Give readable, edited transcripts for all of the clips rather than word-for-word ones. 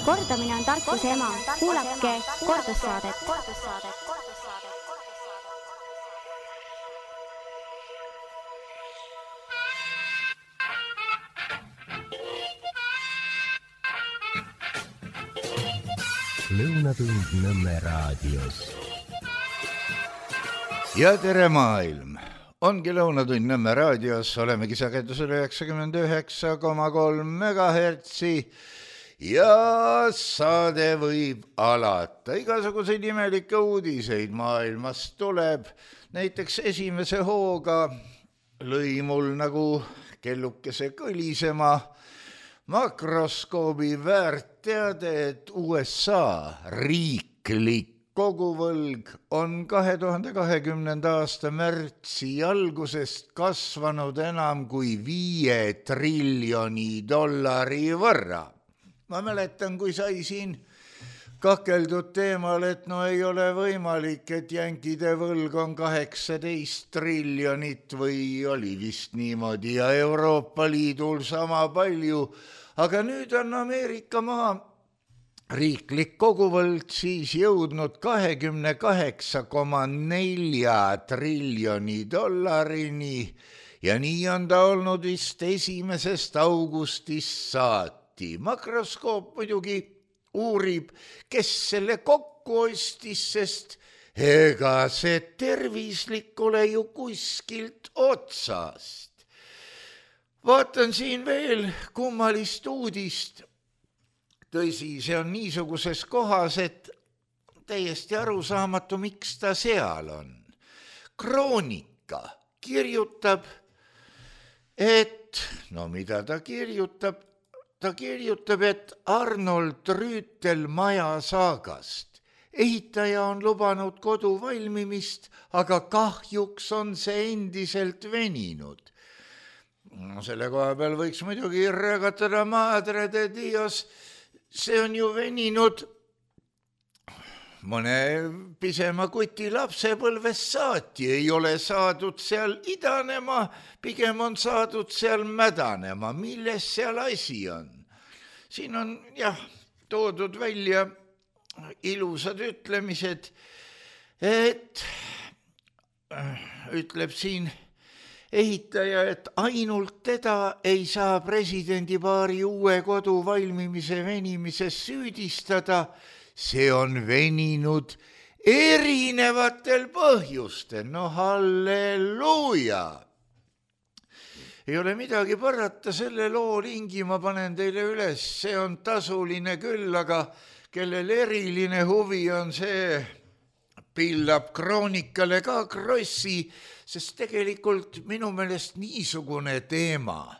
Kordamine on tarkuse ema. Kuulake kordussaadet. Lõunatund Nõmme raadios. Ja tere maailm! Ongi Lõunatund Nõmme raadios, olemegi sagedusel 99,3 megahertsi ja saade võib alata. Igasuguseid imelikke uudiseid maailmast tuleb. Näiteks esimese hooga lõi mul nagu kellukese kõlisema makroskoobi väärteade, et USA riiklik koguvõlg on 2020. aasta märtsi algusest kasvanud enam kui $5 triljoni võrra. Ma mäletan, kui sai siin kakeldud teemal, et no ei ole võimalik, et jänkide võlg on 18 triljonit või oli vist niimoodi ja Euroopa Liidul sama palju, aga nüüd on Ameerika maa riiklik koguvõlg siis jõudnud 28,4 triljoni dollarini ja nii on ta olnud vist 1. augustist saati. Makroskoop muidugi uurib, kes selle kokku ostis, sest ega see tervislik ole ju kuskilt otsast. Vaatan siin veel kummalist uudist. Tõsi, see on niisuguses kohas, et täiesti arusaamatu, miks ta seal on. Kroonika kirjutab, et, no mida ta kirjutab? Ta kirjutab, et Arnold Rüütel maja saagast. Ehitaja on lubanud kodu valmimist, aga kahjuks on see endiselt veninud. No, selle koha peal võiks muidugi rõgatada madre de Dios. See on ju veninud mõne pisema kuti lapsepõlvest saati, ei ole saadud seal idanema, pigem on saadud seal mädanema. Milles seal asi on? Siin on toodud välja ilusad ütlemised, et ütleb siin ehitaja, et ainult teda ei saa presidendipaari uue kodu valmimise venimises süüdistada, see on veninud erinevatel põhjustel. No halleluuja! Ei ole midagi parata, selle loo lingi ma panen teile üles, see on tasuline küll, aga kellel eriline huvi on see, pillab Kroonikale ka krossi, sest tegelikult minu meelest niisugune teema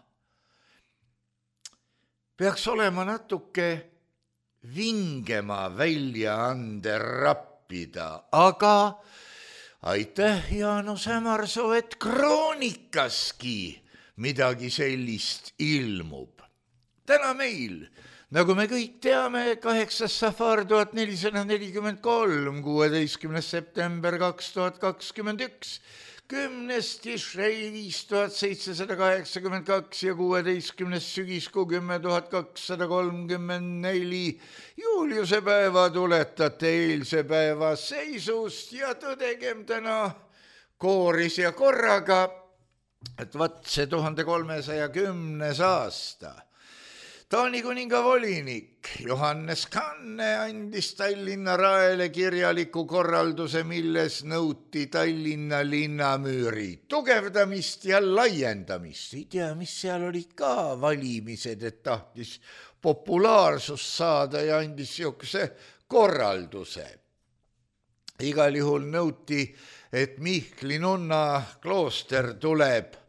peaks olema natuke vingema väljaande rappida, aga aitäh, Jaanus Hämarsoo, et Kroonikaski midagi sellist ilmub. Täna meil, nagu me kõik teame, 8. safar 1443, 16. september 2021, 10. Tishrei 5782 ja 16. sügiskuu 10234 Juliuse päeva tuletate eilse päeva seisust ja tõdegem täna kooris ja korraga, et vaat see 1310. aasta. Taani kuninga volinik Johannes Kanne andis Tallinna raele kirjaliku korralduse, milles nõuti Tallinna linnamüüri tugevdamist ja laiendamist. Ei tea, mis seal olid ka valimised, et tahtis populaarsust saada ja andis siukse korralduse. Igal juhul nõuti, et Mihkli nunna klooster tuleb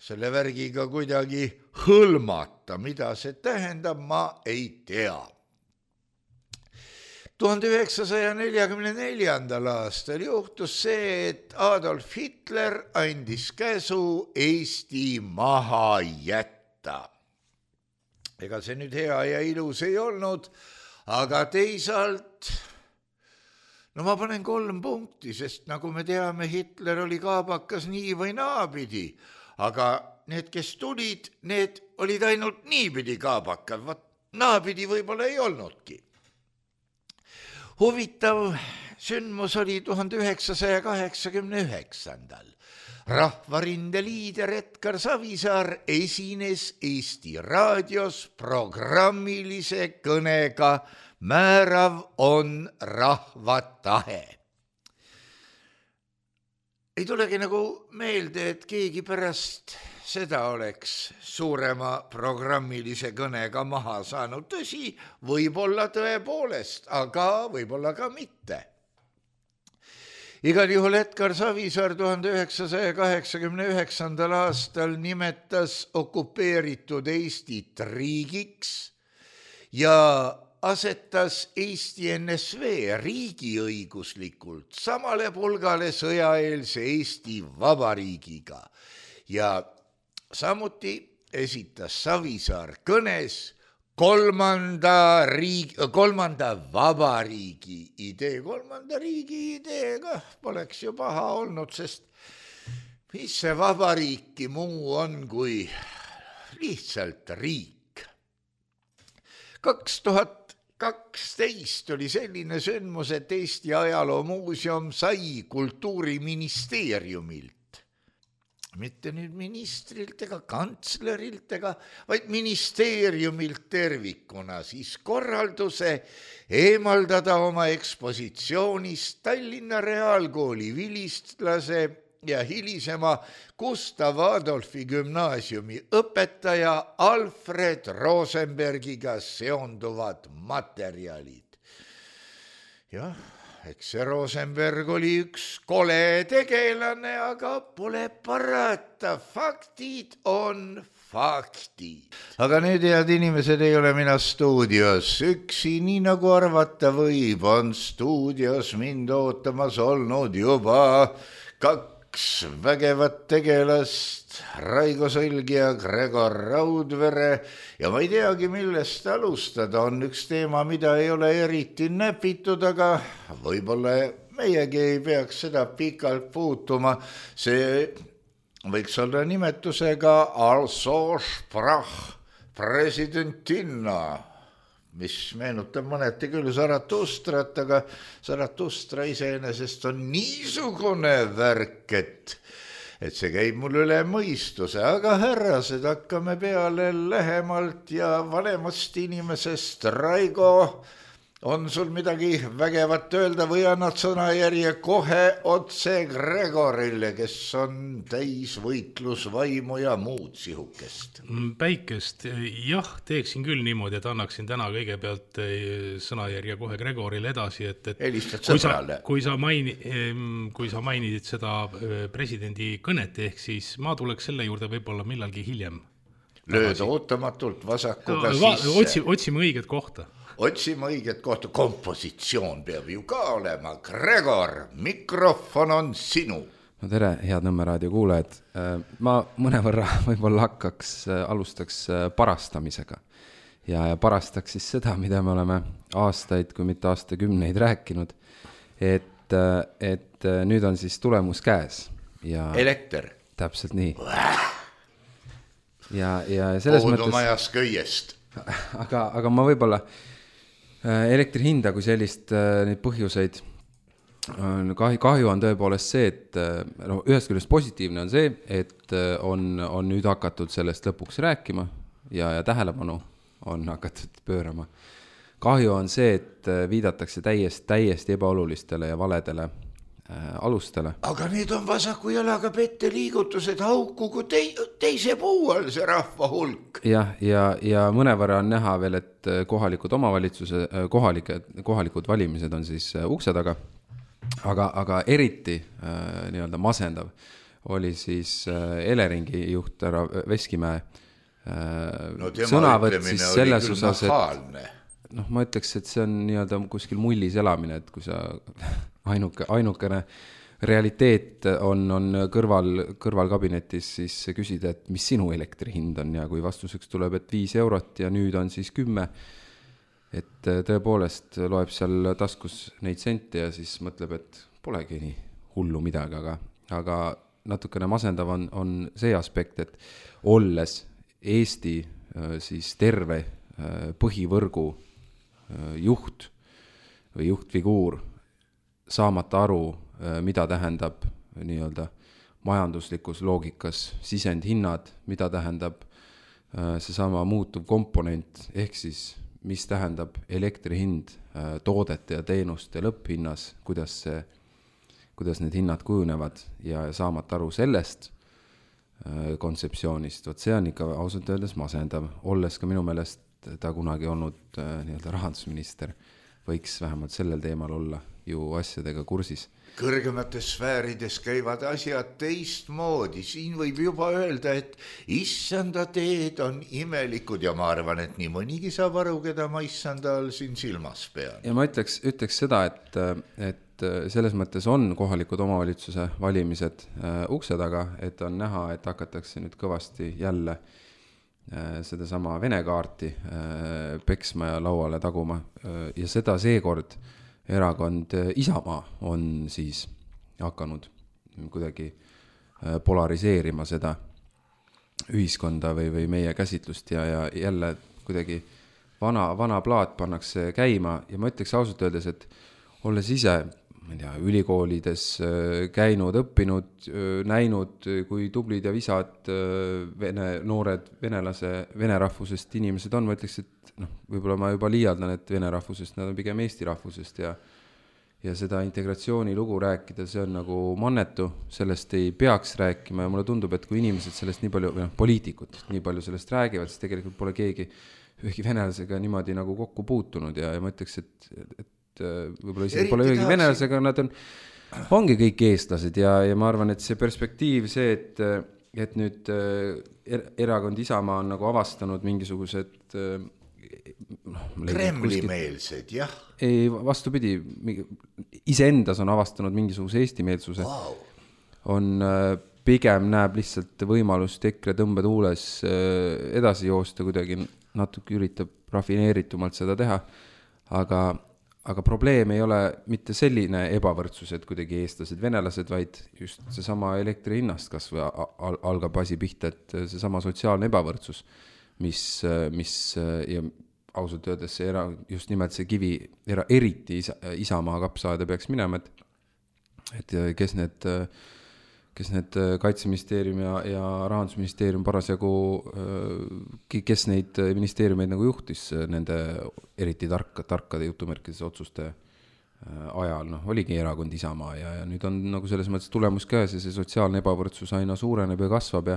selle värgiga kuidagi hõlmata. Mida see tähendab, ma ei tea. 1944. aastal juhtus see, et Adolf Hitler andis käsu Eesti maha jätta. Ega see nüüd hea ja ilus ei olnud, aga teisalt, no ma panen 3 punkti, sest nagu me teame, Hitler oli kaabakas nii või naapidi, aga need, kes tulid, need olid ainult niipidi kaabakad. Vaat naapidi võib-olla ei olnudki. Huvitav sündmus oli 1989. Rahvarinde liider Edgar Savisaar esines Eesti raadios programmilise kõnega Määrav on rahva tahe. Ei tulegi nagu meelde, et keegi pärast seda oleks suurema programmilise kõnega maha saanud. Tõsi, võib-olla tõepoolest, aga võib-olla ka mitte. Igal juhul Edgar Savisaar 1989. aastal nimetas okupeeritud Eestit riigiks ja asetas Eesti NSV riigiõiguslikult samale pulgale sõjaeelse Eesti Vabariigiga ja samuti esitas Savisaar kõnes kolmanda vabariigi idee. Kolmanda riigi ideega poleks ju paha olnud, sest mis see vabariiki muu on kui lihtsalt riik. 2012 oli selline sündmus, et Eesti Ajaloomuuseum sai Kultuuriministeeriumilt, mitte nüüd ministrilt ega kantslerilt vaid ministeeriumilt tervikuna siis korralduse eemaldada oma ekspositsioonist Tallinna Reaalkooli vilistlase ja hilisema Gustav Adolfi gümnaasiumi õpetaja Alfred Rosenbergiga seonduvad materjalid. Jah, eks see Rosenberg oli üks kole tegelane, aga pole parata, faktid on faktid. Aga nüüd, head inimesed, ei ole mina stuudios üksi, nii nagu arvata võib, on stuudios mind ootamas olnud juba kaks vägevat tegelast, Raigo Sõlg ja Gregor Raudvere, ja ma ei teagi, millest alustada. On üks teema, mida ei ole eriti näpitud, aga võib-olla meiegi ei peaks seda pikalt puutuma. See võiks olla nimetusega Also sprach Presidentinna, mis meenutab mõneti küll Zaratustrat, aga Zaratustra iseenesest on niisugune värk, et see käib mul üle mõistuse, aga härrased, hakkame peale lähemalt ja vanemast inimesest. Raigo, on sul midagi vägevat öelda või annad sõnajärje kohe otse Gregorile, kes on täis võitlusvaimu ja muud sihukest? Päikest, jah, teeksin küll niimoodi, et annaksin täna kõigepealt sõnajärje kohe Gregorile edasi, et helistad sõbrale. Kui sa mainisid seda presidendi kõnet, ehk siis ma tuleks selle juurde võib-olla millalgi hiljem. Lööd ootamatult vasakuga sisse. Otsime õiget kohta. Otsime õiget kohta, kompositsioon peab ju ka olema. Gregor, mikrofon on sinu. No tere, head Nõmme raadio kuulajad. Ma mõnevõrra võib-olla alustaks parastamisega ja parastaks siis seda, mida me oleme aastaid, kui mitte aastakümneid rääkinud, et nüüd on siis tulemus käes. Ja elekter. Täpselt nii. Ja selles mõttes... Puudumajas köiest. Aga ma võib-olla elektri hinda kui sellist neid põhjuseid kahju on tõepoolest see, et ühest küljest positiivne on see, et on nüüd hakatud sellest lõpuks rääkima ja tähelepanu on hakatud pöörama. Kahju on see, et viidatakse täiesti ebaolulistele ja valedele alustele. Aga need on vasaku jalaga pette liigutused hauku kui teise puu all see rahva hulk. Ja mõnevõrra on näha veel, et kohalikud valimised on siis ukse taga, aga eriti nii-öelda masendav oli siis Eleringi juht härra Veskimäe sõnavõtt siis selles osas, et ma ütleks, et see on nii-öelda kuskil mullis elamine, et kui sa ainukene realiteet on kõrvalkabinetis, siis küsida, et mis sinu elektri hind on ja kui vastuseks tuleb, et 5 eurot ja nüüd on siis 10, et tõepoolest loeb seal taskus neid sente ja siis mõtleb, et polegi nii hullu midagi, aga natukene masendav on see aspekt, et olles Eesti siis terve põhivõrgu juht või juhtfiguur saamata aru, mida tähendab nii-öelda majanduslikus loogikas sisendhinnad, mida tähendab seesama muutuv komponent, ehk siis mis tähendab elektri hind toodete ja teenuste lõpphinnas, kuidas need hinnad kujunevad ja saamata aru sellest kontseptsioonist, vot see on ikka ausalt öeldes masendav, olles ka minu meelest ta kunagi olnud nii-öelda rahandusminister, võiks vähemalt sellel teemal olla ju asjadega kursis. Kõrgemates sfäärides käivad asjad teistmoodi, siin võib juba öelda, et issanda teed on imelikud ja ma arvan, et nii mõnigi saab aru, keda ma issanda all siin silmas pean. Ja ma ütleks seda, et selles mõttes on kohalikud omavalitsuse valimised ukse taga, et on näha, et hakatakse nüüd kõvasti jälle sedasama Vene kaarti peksma ja lauale taguma ja seda seekord erakond Isamaa on siis hakanud kuidagi polariseerima seda ühiskonda või meie käsitlust ja jälle kuidagi vana plaat pannakse käima ja ma ütleks ausalt öeldes, et olles ise ülikoolides käinud, õppinud, näinud, kui tublid ja visad noored vene rahvusest inimesed on, ma ütleks, et võib-olla ma juba liialdan, et vene rahvusest, nad on pigem eesti rahvusest ja seda integratsiooni lugu rääkida, see on nagu mannetu, sellest ei peaks rääkima ja mulle tundub, et kui inimesed sellest nii palju, poliitikud nii palju sellest räägivad, siis tegelikult pole keegi ühegi venelasega niimoodi nagu kokku puutunud ja ma ütleks, et võib-olla isegi pole ühegi venelasega, nad ongi kõik eestlased ja ma arvan, et see perspektiiv, see, et nüüd erakond Isamaa on nagu avastanud mingisugused Kremli-meelsed, jah. Ei, vastupidi, iseendas on avastanud mingisuguse eestimeelsuse. On pigem näeb lihtsalt võimalust EKRE tõmbetuules edasi joosta, kuidagi natuke üritab rafineeritumalt seda teha, aga probleem ei ole mitte selline ebavõrdsus, et kuidagi eestlased, venelased, vaid just seesama elektri hinnast kas või algab asi pihta, et seesama sotsiaalne ebavõrdsus, mis ja ausalt öeldes see just nimelt see kivi eriti Isamaa kapsaada peaks minema, et kes need Kaitseministeerium ja Rahandusministeerium parasjagu, kes neid ministeeriumeid nagu juhtis nende eriti tarkade jutumärkides otsuste ajal, oligi erakond Isamaa ja nüüd on nagu selles mõttes tulemus käes ja see sotsiaalne ebavõrdsus aina suureneb ja kasvab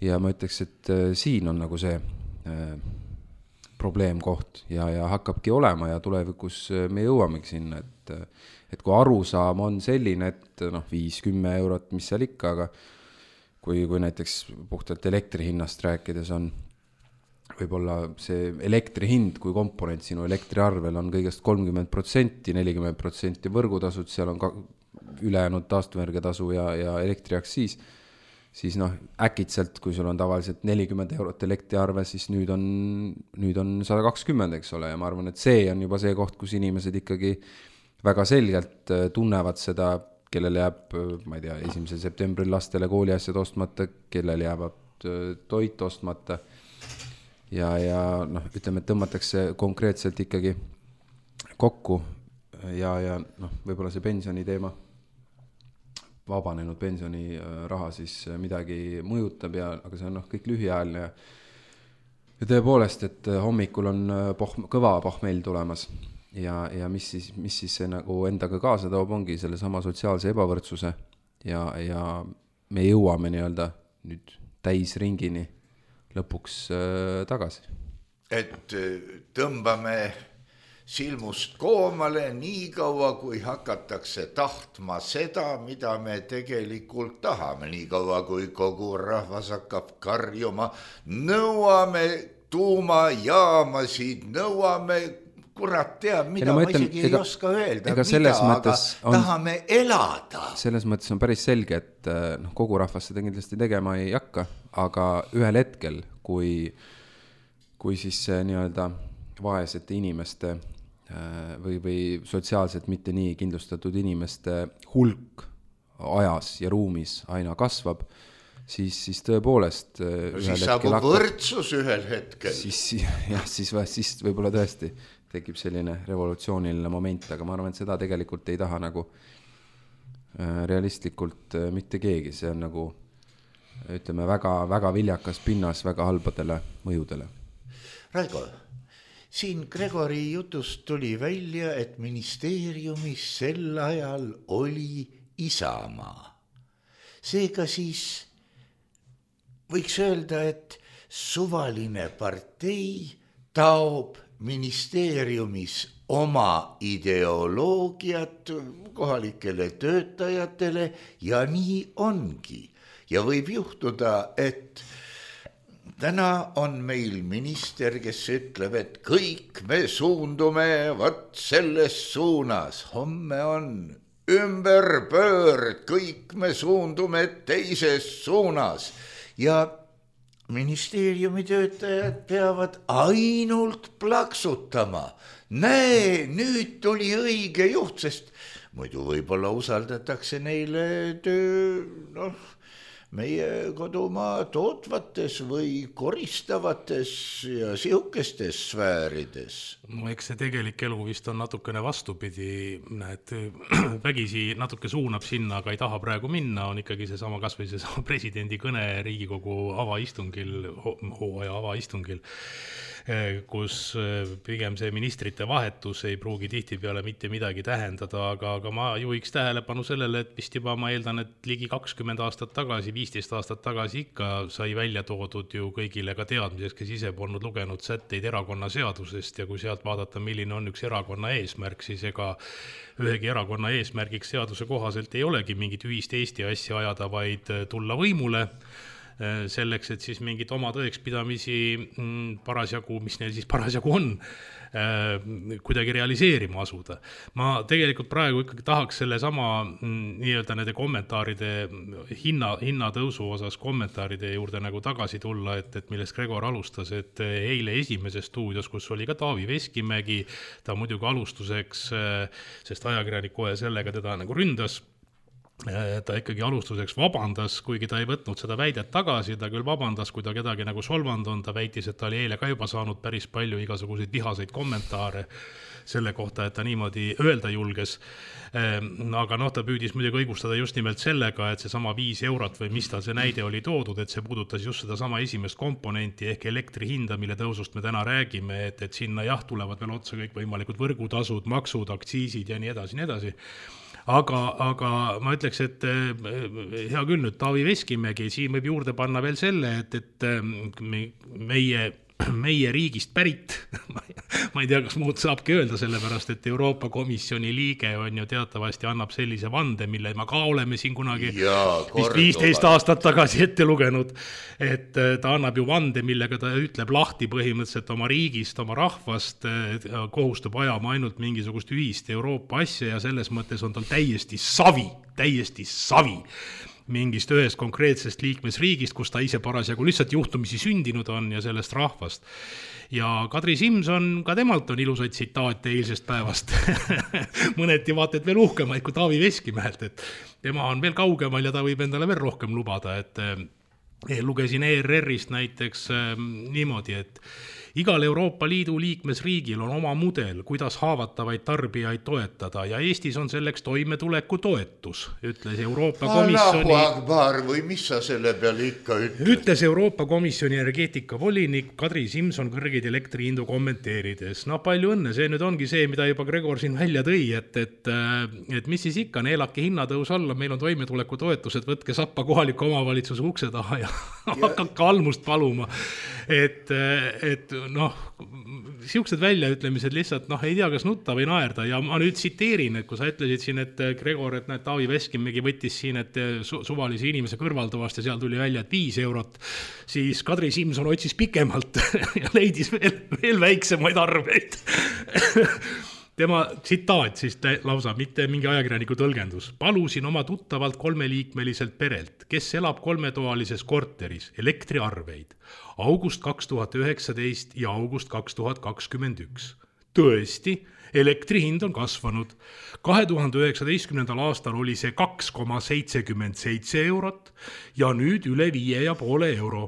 ja ma ütleks, et siin on nagu see probleemkoht ja hakkabki olema ja tulevikus me jõuamegi sinna, et kui arusaam on selline, et 5-10 eurot, mis seal ikka, aga kui näiteks puhtalt elektri hinnast rääkides on võib-olla see elektri hind, kui komponent sinu elektriarvel on kõigest 30%, 40% võrgutasud, seal on ka ülejäänud taastuvenergiatasu ja elektriaktsiis, siis äkitselt, kui sul on tavaliselt 40 eurot elektriarve, siis nüüd on 120, eks ole, ja ma arvan, et see on juba see koht, kus inimesed ikkagi väga selgelt tunnevad seda, kellel jääb, ma ei tea, 1. septembril lastele kooliasjad ostmata, kellel jäävad toit ostmata ja ütleme, et tõmmatakse konkreetselt ikkagi kokku ja võib-olla see pensioni teema, vabanenud pensioniraha siis midagi mõjutab aga see on kõik lühiajaline ja tõepoolest, et hommikul on kõva pohmell tulemas ja mis siis see nagu endaga kaasa toob, ongi selle sama sotsiaalse ebavõrdsuse ja me jõuame nii-öelda nüüd täisringini lõpuks tagasi. Et tõmbame silmust koomale nii kaua, kui hakatakse tahtma seda, mida me tegelikult tahame, nii kaua, kui kogu rahvas hakkab karjuma, nõuame tuumajaamasid, nõuame, kurat teab, mida ma isegi ei oska öelda, aga tahame elada. Selles mõttes on päris selge, et kogu rahvas seda kindlasti tegema ei hakka, aga ühel hetkel, kui siis see nii-öelda vaesete inimeste või sotsiaalselt mitte nii kindlustatud inimeste hulk ajas ja ruumis aina kasvab, siis tõepoolest siis saabub võrdsus ühel hetkel. Siis võib-olla tõesti tekib selline revolutsiooniline moment, aga ma arvan, et seda tegelikult ei taha nagu realistlikult mitte keegi, see on nagu ütleme väga viljakas pinnas väga halbadele mõjudele. Raigo, siin Gregori jutust tuli välja, et ministeeriumis sel ajal oli Isamaa. Seega siis võiks öelda, et suvaline partei taob ministeeriumis oma ideoloogiat kohalikele töötajatele ja nii ongi. Ja võib juhtuda, et täna on meil minister, kes ütleb, et kõik me suundume võt selles suunas. Homme on ümberpöörd, kõik me suundume teises suunas. Ja ministeeriumi töötajad peavad ainult plaksutama. Näe, nüüd tuli õige juht, sest muidu võib-olla usaldatakse neile töö, meie kodumaa tootvates või koristavates ja sihukestes sfäärides. No eks see tegelik elu vist on natukene vastupidi, et vägisi natuke suunab sinna, aga ei taha praegu minna, on ikkagi seesama kasvõi seesama presidendi kõne Riigikogu avaistungil, hooaja avaistungil, kus pigem see ministrite vahetus ei pruugi tihtipeale mitte midagi tähendada, aga ma juhiks tähelepanu sellele, et vist juba ma eeldan, et ligi 20 aastat tagasi, 15 aastat tagasi ikka sai välja toodud ju kõigile ka teadmiseks, kes ise polnud lugenud sätteid erakonna seadusest ja kui sealt vaadata, milline on üks erakonna eesmärk, siis ega ühegi erakonna eesmärgiks seaduse kohaselt ei olegi mingit ühist Eesti asja ajada, vaid tulla võimule selleks, et siis mingid oma tõekspidamisi parasjagu, mis neil siis parasjagu on, kuidagi realiseerima asuda. Ma tegelikult praegu ikkagi tahaks selle sama nii-öelda nende kommentaaride hinnatõusu osas kommentaaride juurde nagu tagasi tulla, et millest Gregor alustas, et eile Esimeses stuudios, kus oli ka Taavi Veskimägi, ta muidugi alustuseks, sest ajakirjanik kohe sellega teda nagu ründas, ta ikkagi alustuseks vabandas, kuigi ta ei võtnud seda väidet tagasi, ta küll vabandas, kui ta kedagi nagu solvanud on, ta väitis, et ta oli eile ka juba saanud päris palju igasuguseid vihaseid kommentaare selle kohta, et ta niimoodi öelda julges. Aga ta püüdis muidugi õigustada just nimelt sellega, et see sama 5 eurot või mis tal see näide oli toodud, et see puudutas just seda sama esimest komponenti ehk elektri hinda, mille tõusust me täna räägime, et sinna tulevad veel otsa kõik võimalikud võrgutasud, maksud, aktsiisid ja nii edasi. Aga ma ütleks, et hea küll nüüd Taavi Veskimägi, siin võib juurde panna veel selle, et meie riigist pärit, ma ei tea, kas muud saabki öelda, sellepärast, et Euroopa Komisjoni liige on ju teatavasti annab sellise vande, mille ma ka oleme siin kunagi vist 15 aastat tagasi ette lugenud, et ta annab ju vande, millega ta ütleb lahti põhimõtteliselt oma riigist, oma rahvast, kohustub ajama ainult mingisugust ühist Euroopa asja ja selles mõttes on tal täiesti savi mingist ühest konkreetsest liikmesriigist, kus ta ise parasjagu lihtsalt juhtumisi sündinud on ja sellest rahvast. Ja Kadri Simson, ka temalt on ilusaid tsitaate eilsest päevast. Mõneti vaated veel uhkemaid kui Taavi Veskimäelt, et tema on veel kaugemal ja ta võib endale veel rohkem lubada, et lugesin ERR-ist näiteks niimoodi, et igal Euroopa Liidu liikmesriigil on oma mudel, kuidas haavatavaid tarbijaid toetada ja Eestis on selleks toimetuleku toetus, ütles Euroopa Komisjoni... Allahu Akbar või mis sa selle peale ikka ütled? Ütles Euroopa Komisjoni energeetikavolinik Kadri Simson kõrgeid elektrihindu kommenteerides. Palju õnne, see nüüd ongi see, mida juba Gregor siin välja tõi, et mis siis ikka, neelake hinnatõus alla, meil on toimetuleku toetused, võtke sappa kohaliku omavalitsuse ukse taha ja hakake almust paluma. Et siuksed väljaütlemised lihtsalt, ei tea, kas nutta või naerda ja ma nüüd tsiteerin, et kui sa ütlesid siin, et Gregor, et Taavi Veskimägi võttis siin, et suvalise inimese kõrvalduvast ja seal tuli välja, et 5 eurot, siis Kadri Simson otsis pikemalt ja leidis veel väiksemaid arveid. Tema tsitaat siis lausa, mitte mingi ajakirjaniku tõlgendus. Palusin oma tuttavalt 3-liikmeliselt perelt, kes elab 3-toalises korteris, elektriarveid. August 2019 ja august 2021. tõesti, elektri hind on kasvanud. 2019. aastal oli see 2,77 eurot ja nüüd üle 5,5 euro.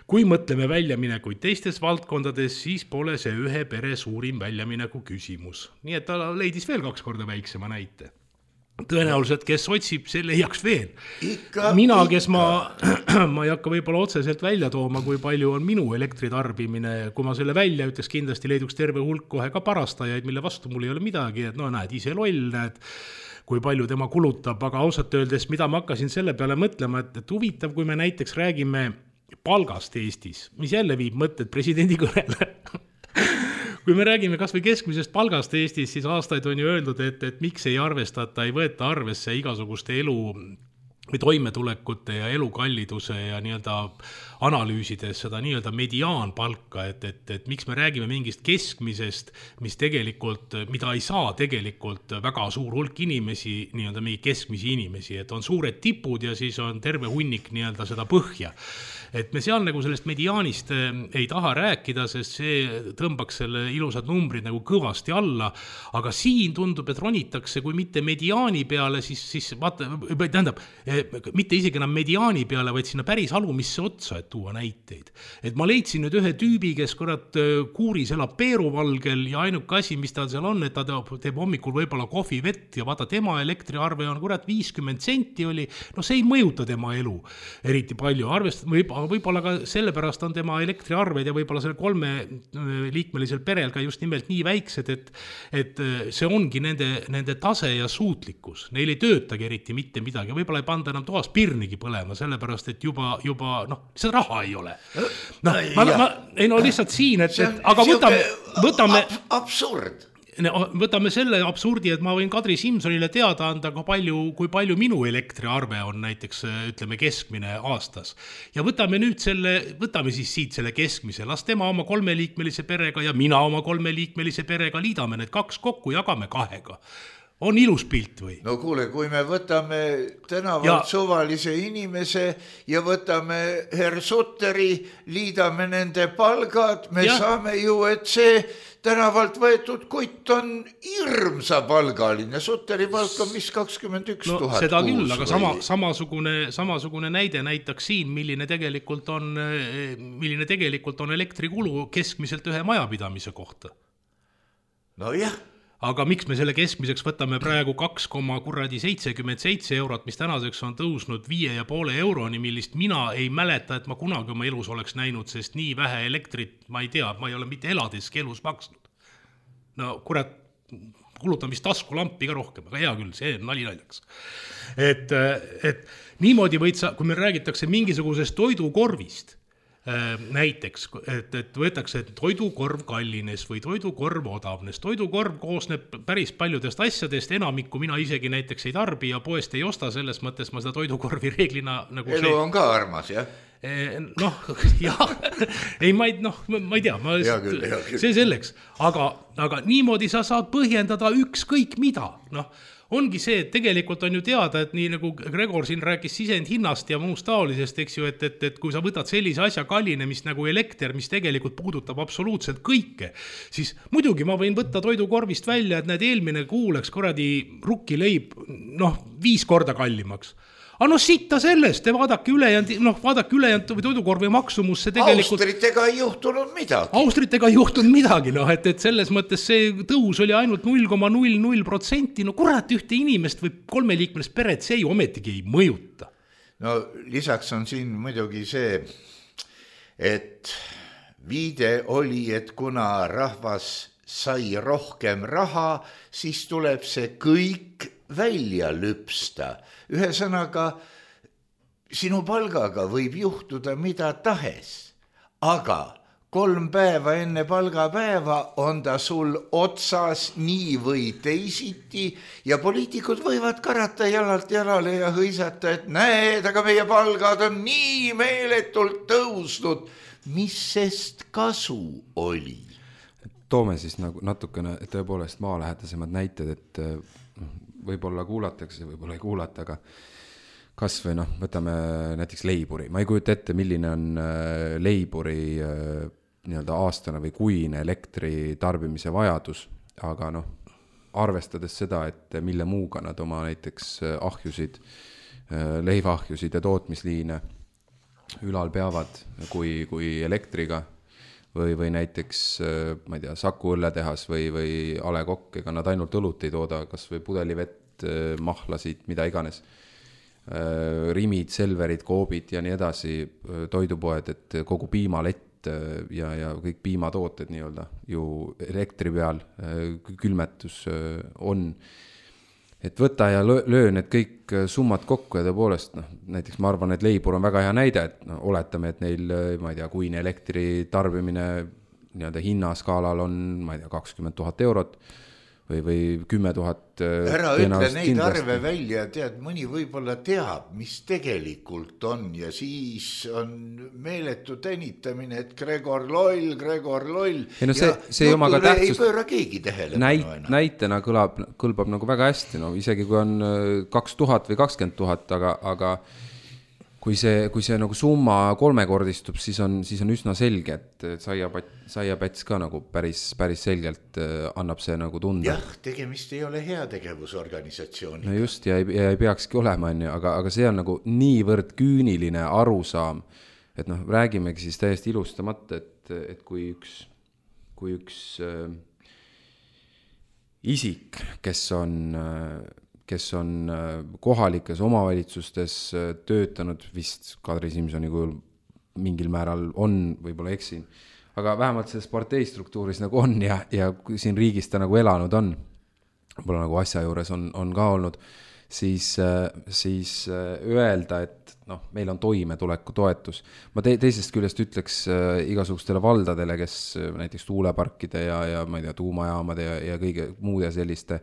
Kui mõtleme väljaminekuid teistes valdkondades, siis pole see ühe pere suurim väljamineku küsimus. Nii et ta leidis veel 2 korda väiksema näite. Tõenäoliselt, kes otsib, see leiaks veel. Mina, kes ma ei hakka võib-olla otseselt välja tooma, kui palju on minu elektritarbimine. Kui ma selle välja ütleks, kindlasti leiduks terve hulk kohe ka parastajaid, mille vastu mul ei ole midagi. Et no näed, ise loll, näed, kui palju tema kulutab. Aga ausalt öeldes, mida ma hakkasin selle peale mõtlema, et huvitav, kui me näiteks räägime palgast Eestis, mis jälle viib mõtted presidendi kõnele. Kui me räägime kas või keskmisest palgast Eestis, siis aastaid on ju öeldud, et miks ei arvestata, ei võeta arvesse igasuguste elu või toimetulekute ja elukalliduse ja nii-öelda analüüsides seda nii-öelda mediaanpalka, et miks me räägime mingist keskmisest, mis tegelikult, mida ei saa tegelikult väga suur hulk inimesi, nii-öelda mingi keskmisi inimesi, et on suured tipud ja siis on terve hunnik nii-öelda seda põhja. Et me seal nagu sellest mediaanist ei taha rääkida, sest see tõmbaks selle ilusad numbrid nagu kõvasti alla, aga siin tundub, et ronitakse, kui mitte mediaani peale, siis vaata, tähendab, mitte isegi enam mediaani peale, vaid sinna päris alumisse otsa, et tuua näiteid. Et ma leidsin nüüd ühe tüübi, kes kurat kuuris elab Peeruvalgel ja ainuke asi, mis tal seal on, et ta teeb hommikul võib-olla kohvi vett ja vaata, tema elektriarve on kurat 50 senti oli, no see ei mõjuta tema elu eriti palju, võib-olla ka sellepärast on tema elektriarved ja võib-olla selle 3 liikmelisel perel ka just nimelt nii väiksed, et see ongi nende tase ja suutlikkus. Neil ei töötagi eriti mitte midagi, võib-olla ei panda enam toas pirnigi põlema, sellepärast, et juba seda raha ei ole. Ei no lihtsalt siin, aga võtame absurd. Võtame selle absurdi, et ma võin Kadri Simsonile teada anda, kui palju minu elektriarve on näiteks, ütleme, keskmine aastas. Ja võtame siis siit selle keskmise, las tema oma 3-liikmelise perega ja mina oma 3-liikmelise perega liidame need 2 kokku, jagame 2. On ilus pilt või? No kuule, kui me võtame tänavalt suvalise inimese ja võtame Herr Sutteri, liidame nende palgad, me saame ju, et see tänavalt võetud kutt on hirmsa palgaline. Sutteri palk on mis 21 000 kuus. Seda küll, aga samasugune näide näitaks siin, milline tegelikult on elektrikulu keskmiselt ühe majapidamise kohta. No jah. Aga miks me selle keskmiseks võtame praegu 2,77 eurot, mis tänaseks on tõusnud 5,5 euroni, millist mina ei mäleta, et ma kunagi oma elus oleks näinud, sest nii vähe elektrit, ma ei tea, ma ei ole mitte eladeski elus maksnud. No kurat, kulutan vist taskulampi ka rohkem, aga hea küll, see on naljaks. Et niimoodi võid sa, kui me räägitakse mingisugusest toidukorvist, näiteks, et võetakse, et toidukorv kallines või toidukorv odavnes. Toidukorv koosneb päris paljudest asjadest, enamikku mina isegi näiteks ei tarbi ja poest ei osta, selles mõttes ma seda toidukorvi reeglina nagu elu on ka armas, jah? Ei, ma ei tea, see selleks, aga niimoodi sa saad põhjendada ükskõik mida, ongi see, et tegelikult on ju teada, et nii nagu Gregor siin rääkis sisendhinnast ja muust taolisest, eks ju, et kui sa võtad sellise asja kallinemist nagu elekter, mis tegelikult puudutab absoluutselt kõike, siis muidugi ma võin võtta toidukorvist välja, et need eelmine kuu läks kuradi rukkileib 5 korda kallimaks. Aga sitta sellest, vaadake ülejäänud toidukorvi maksumus, see tegelikult... Austritega ei juhtunud midagi. Austritega ei juhtunud midagi, et selles mõttes see tõus oli ainult 0,00%, kurat, ühte inimest või 3-liikmelist peret, see ju ometigi ei mõjuta. No lisaks on siin muidugi see, et viide oli, et kuna rahvas sai rohkem raha, siis tuleb see kõik välja lüpsta. Ühesõnaga, sinu palgaga võib juhtuda mida tahes, aga 3 päeva enne palgapäeva on ta sul otsas nii või teisiti ja poliitikud võivad karata jalalt jalale ja hõisata, et näed, aga meie palgad on nii meeletult tõusnud. Mis sest kasu oli? Toome siis nagu natukene tõepoolest maalähedasemad näited, et võib-olla kuulatakse, võib-olla ei kuulata, aga kas või võtame näiteks leiburi. Ma ei kujuta ette, milline on leiburi nii-öelda aastane või kuine elektri tarbimise vajadus, aga noh, arvestades seda, et mille muuga nad oma näiteks ahjusid, leivaahjusid ja tootmisliine ülal peavad kui elektriga või näiteks, ma ei tea, Saku õlletehas või A. Le Coq, ega nad ainult õlut ei tooda, kas või pudelivett, mahlasid, mida iganes. Rimid, Selverid, Coopid ja nii edasi, toidupoed, et kogu piimalett ja kõik piimatooted nii-öelda ju elektri peal, külmetus on. Et võta ja löö need kõik summad kokku ja tõepoolest, näiteks ma arvan, et Leibur on väga hea näide, et oletame, et neil, ma ei tea, kuine elektri tarbimine nii-öelda hinnaskaalal on, ma ei tea, 20 000 eurot või 10 000. Ära ütle neid arve välja, tead, mõni võib-olla teab, mis tegelikult on ja siis on meeletu tänitamine, et Gregor loll. Ei no see omaga tähtsust ei pööra keegi tähelepanu näitena kõlbab nagu väga hästi, no isegi kui on 2000 või 20 000, aga kui see nagu summa kolmekordistub, siis on üsna selge, et saiapäts ka nagu päris selgelt annab see nagu tunda. Jah, tegemist ei ole heategevusorganisatsiooniga. No just, ja ei peakski olema, aga see on nagu niivõrd küüniline arusaam, et noh, räägimegi siis täiesti ilustamata, et kui üks isik, kes on kohalikes omavalitsustes töötanud, vist Kadri Simsoni kujul mingil määral on, võib-olla eksin, aga vähemalt selles parteistruktuuris nagu on ja siin riigis ta nagu elanud on, võib-olla nagu asja juures on ka olnud, siis öelda, et noh, meil on toimetuleku toetus. Ma teisest küljest ütleks igasugustele valdadele, kes näiteks tuuleparkide ja ma ei tea, tuumajaamade ja kõige muude selliste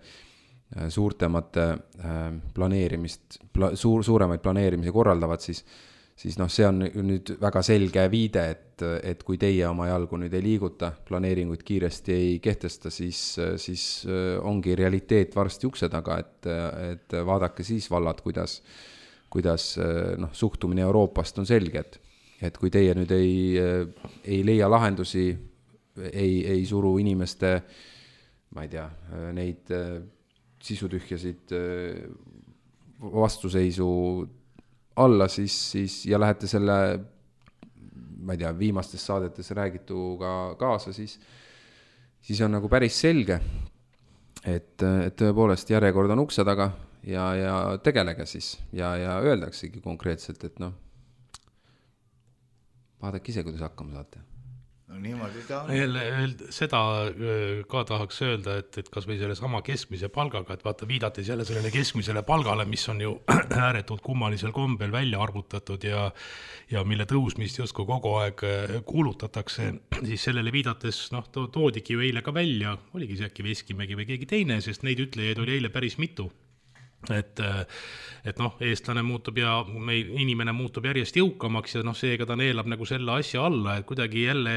suuremate planeerimisi korraldavad, siis noh, see on nüüd väga selge viide, et kui teie oma jalgu nüüd ei liiguta, planeeringuid kiiresti ei kehtesta, siis ongi realiteet varsti ukse taga, et vaadake siis vallad, kuidas noh, suhtumine Euroopast on selge, et kui teie nüüd ei leia lahendusi, ei suru inimeste, ma ei tea, neid sisutühjasid vastuseisu alla, siis ja lähete selle, ma ei tea, viimastes saadetes räägituga kaasa, siis on nagu päris selge, et tõepoolest järjekord on ukse taga ja tegelege siis ja öeldaksegi konkreetselt, et noh, vaadake ise, kuidas hakkama saate. No niimoodi ta on. Seda ka tahaks öelda, et kas või selle sama keskmise palgaga, et vaata, viidates jälle sellele keskmisele palgale, mis on ju ääretult kummalisel kombel välja arvutatud ja mille tõusmist justkui kogu aeg kuulutatakse, siis sellele viidates toodigi ju eile ka välja, oligi see äkki Veskimägi või keegi teine, sest neid ütlejaid oli eile päris mitu. Et noh, eestlane muutub ja inimene muutub järjest jõukamaks ja noh, seega ta neelab nagu selle asja alla, et kuidagi jälle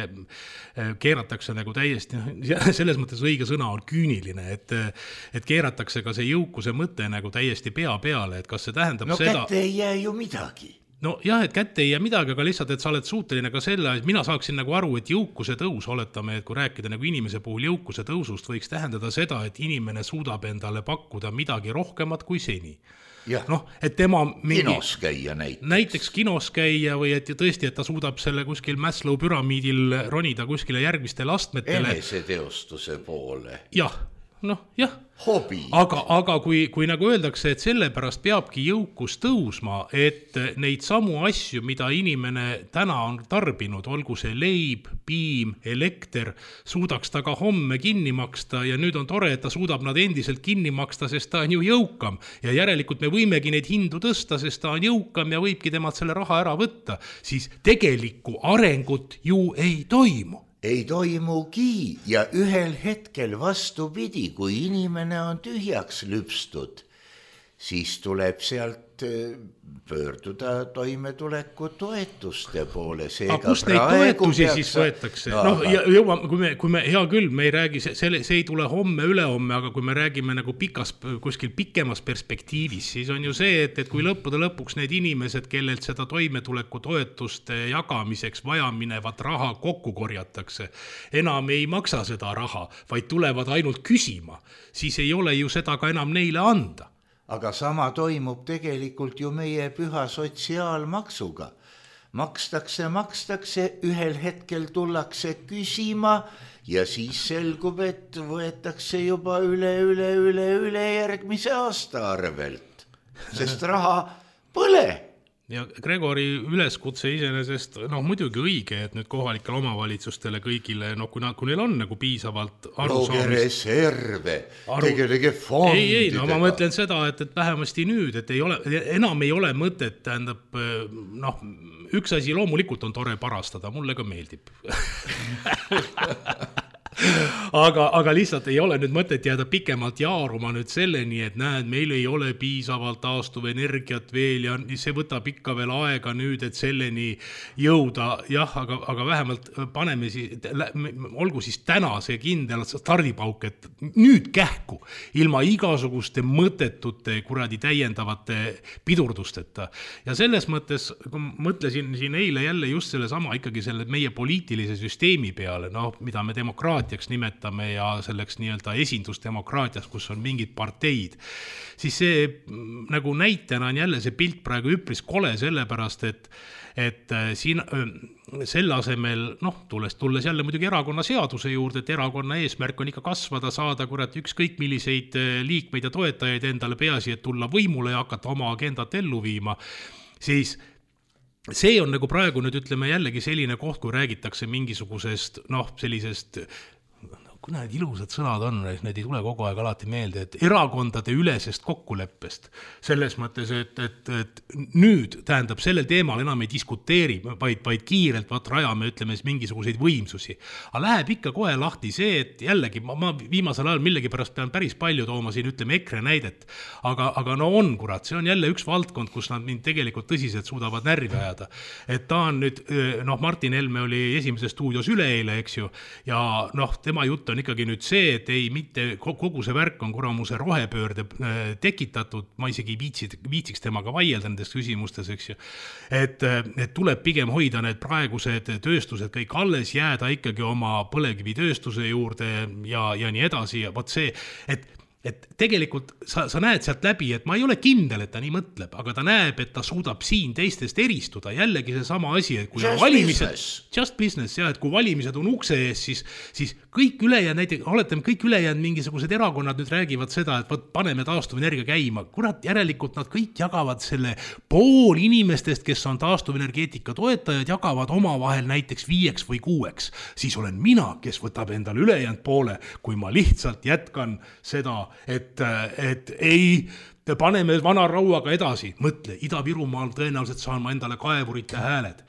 keeratakse nagu täiesti, selles mõttes õige sõna on küüniline, et keeratakse ka see jõukuse mõte nagu täiesti pea peale, et kas see tähendab seda... No kätte ei jää ju midagi. No jah, et kätte ei jää midagi, aga lihtsalt, et sa oled suuteline ka selle, et mina saaksin nagu aru, et jõukuse tõus, oletame, et kui rääkida nagu inimese puhul jõukuse tõusust, võiks tähendada seda, et inimene suudab endale pakkuda midagi rohkemat kui seni. Noh, et tema kinos käia näiteks kinos käia või et tõesti, et ta suudab selle kuskil Maslow püramiidil ronida kuskile järgmistele astmetele. Eneseteostuse poole. Jah, hobi. Aga kui nagu öeldakse, et sellepärast peabki jõukus tõusma, et neid samu asju, mida inimene täna on tarbinud, olgu see leib, piim, elekter, suudaks ta ka homme kinni maksta ja nüüd on tore, et ta suudab nad endiselt kinni maksta, sest ta on ju jõukam ja järelikult me võimegi neid hindu tõsta, sest ta on jõukam ja võibki temalt selle raha ära võtta, siis tegelikku arengut ju ei toimu. Ei toimugi ja ühel hetkel vastupidi, kui inimene on tühjaks lüpstud, siis tuleb sealt pöörduda toimetuleku toetuste poole. Aga kust neid toetusi siis võetakse? Kui me hea küll, me ei räägi, see ei tule homme, ülehomme, aga kui me räägime nagu kuskil pikemas perspektiivis, siis on ju see, et kui lõppude lõpuks need inimesed, kellelt seda toimetuleku toetuste jagamiseks vajaminevat raha kokku korjatakse, enam ei maksa seda raha, vaid tulevad ainult küsima, siis ei ole ju seda ka enam neile anda. Aga sama toimub tegelikult ju meie püha sotsiaalmaksuga. Makstakse, ühel hetkel tullakse küsima ja siis selgub, et võetakse juba üle järgmise aasta arvelt, sest raha pole. Ja Gregori üleskutse iseenesest, muidugi õige, et nüüd kohalikel omavalitsustele kõigile, kui neil on nagu piisavalt looge reserve, tegelege fondidega. Ma mõtlen seda, et vähemasti nüüd, et enam ei ole mõtet, tähendab, üks asi loomulikult on tore parastada, mulle ka meeldib. Aga lihtsalt ei ole nüüd mõtet jääda pikemalt jaaruma nüüd selleni, et näed, meil ei ole piisavalt taastuvenergiat veel ja see võtab ikka veel aega nüüd, et selleni jõuda. Jah, aga vähemalt paneme siis, olgu siis täna see kindel stardipauk, et nüüd kähku ilma igasuguste mõttetute kuradi täiendavate pidurdusteta. Ja selles mõttes, kui mõtlesin siin eile jälle just selle sama ikkagi selle meie poliitilise süsteemi peale, mida me demokraatiaks nimetame ja selleks nii-öelda esindusdemokraatias, kus on mingid parteid, siis see nagu näitena on jälle see pilt praegu üpris kole sellepärast, et siin selle asemel, tulles jälle muidugi erakonna seaduse juurde, et erakonna eesmärk on ikka kasvada, saada ükskõik milliseid liikmeid ja toetajaid endale, peaasi, et tulla võimule ja hakata oma agendat ellu viima, siis see on nagu praegu nüüd ütleme jällegi selline koht, kui räägitakse mingisugusest, sellisest, kui need ilusad sõnad on, need ei tule kogu aeg alati meelde, et erakondade ülesest kokkuleppest. Selles mõttes, et nüüd tähendab sellel teemal enam ei diskuteeri, vaid kiirelt rajame, ütleme, mingisuguseid võimsusi. Aga läheb ikka kohe lahti see, et jällegi, ma viimasel ajal millegi pärast pean päris palju tooma siin, ütleme, EKRE näidet. Aga on, kurat, see on jälle üks valdkond, kus nad mind tegelikult tõsiselt suudavad närvi ajada. Et ta on nüüd, Martin Helme oli Esimeses stuudios üleeile, eks ju, ja tema jutt on ikkagi nüüd see, et ei mitte kogu see värk on kuramuse rohepöörde tekitatud, ma isegi viitsiks temaga vaielda nendes küsimustes, eks ju, et tuleb pigem hoida need praegused tööstused kõik alles, jääda ikkagi oma põlevkivitööstuse juurde ja nii edasi ja võt see, et tegelikult sa näed sealt läbi, et ma ei ole kindel, et ta nii mõtleb, aga ta näeb, et ta suudab siin teistest eristuda. Jällegi see sama asi, et kui just business, ja, et kui valimised on ukse ees, siis kõik ülejäänud, näiteks oletame, kõik ülejäänud mingisugused erakonnad nüüd räägivad seda, et paneme taastuvenergia käima. Kurat, järelikult nad kõik jagavad selle pool inimestest, kes on taastuvenergeetika toetajad, jagavad omavahel näiteks 5 või 6. Siis olen mina, kes võtab endale ülejäänud poole, kui ma lihtsalt jätkan seda, et ei, paneme vana rauaga edasi, mõtle, Ida-Virumaal tõenäoliselt saan ma endale kaevurite hääled,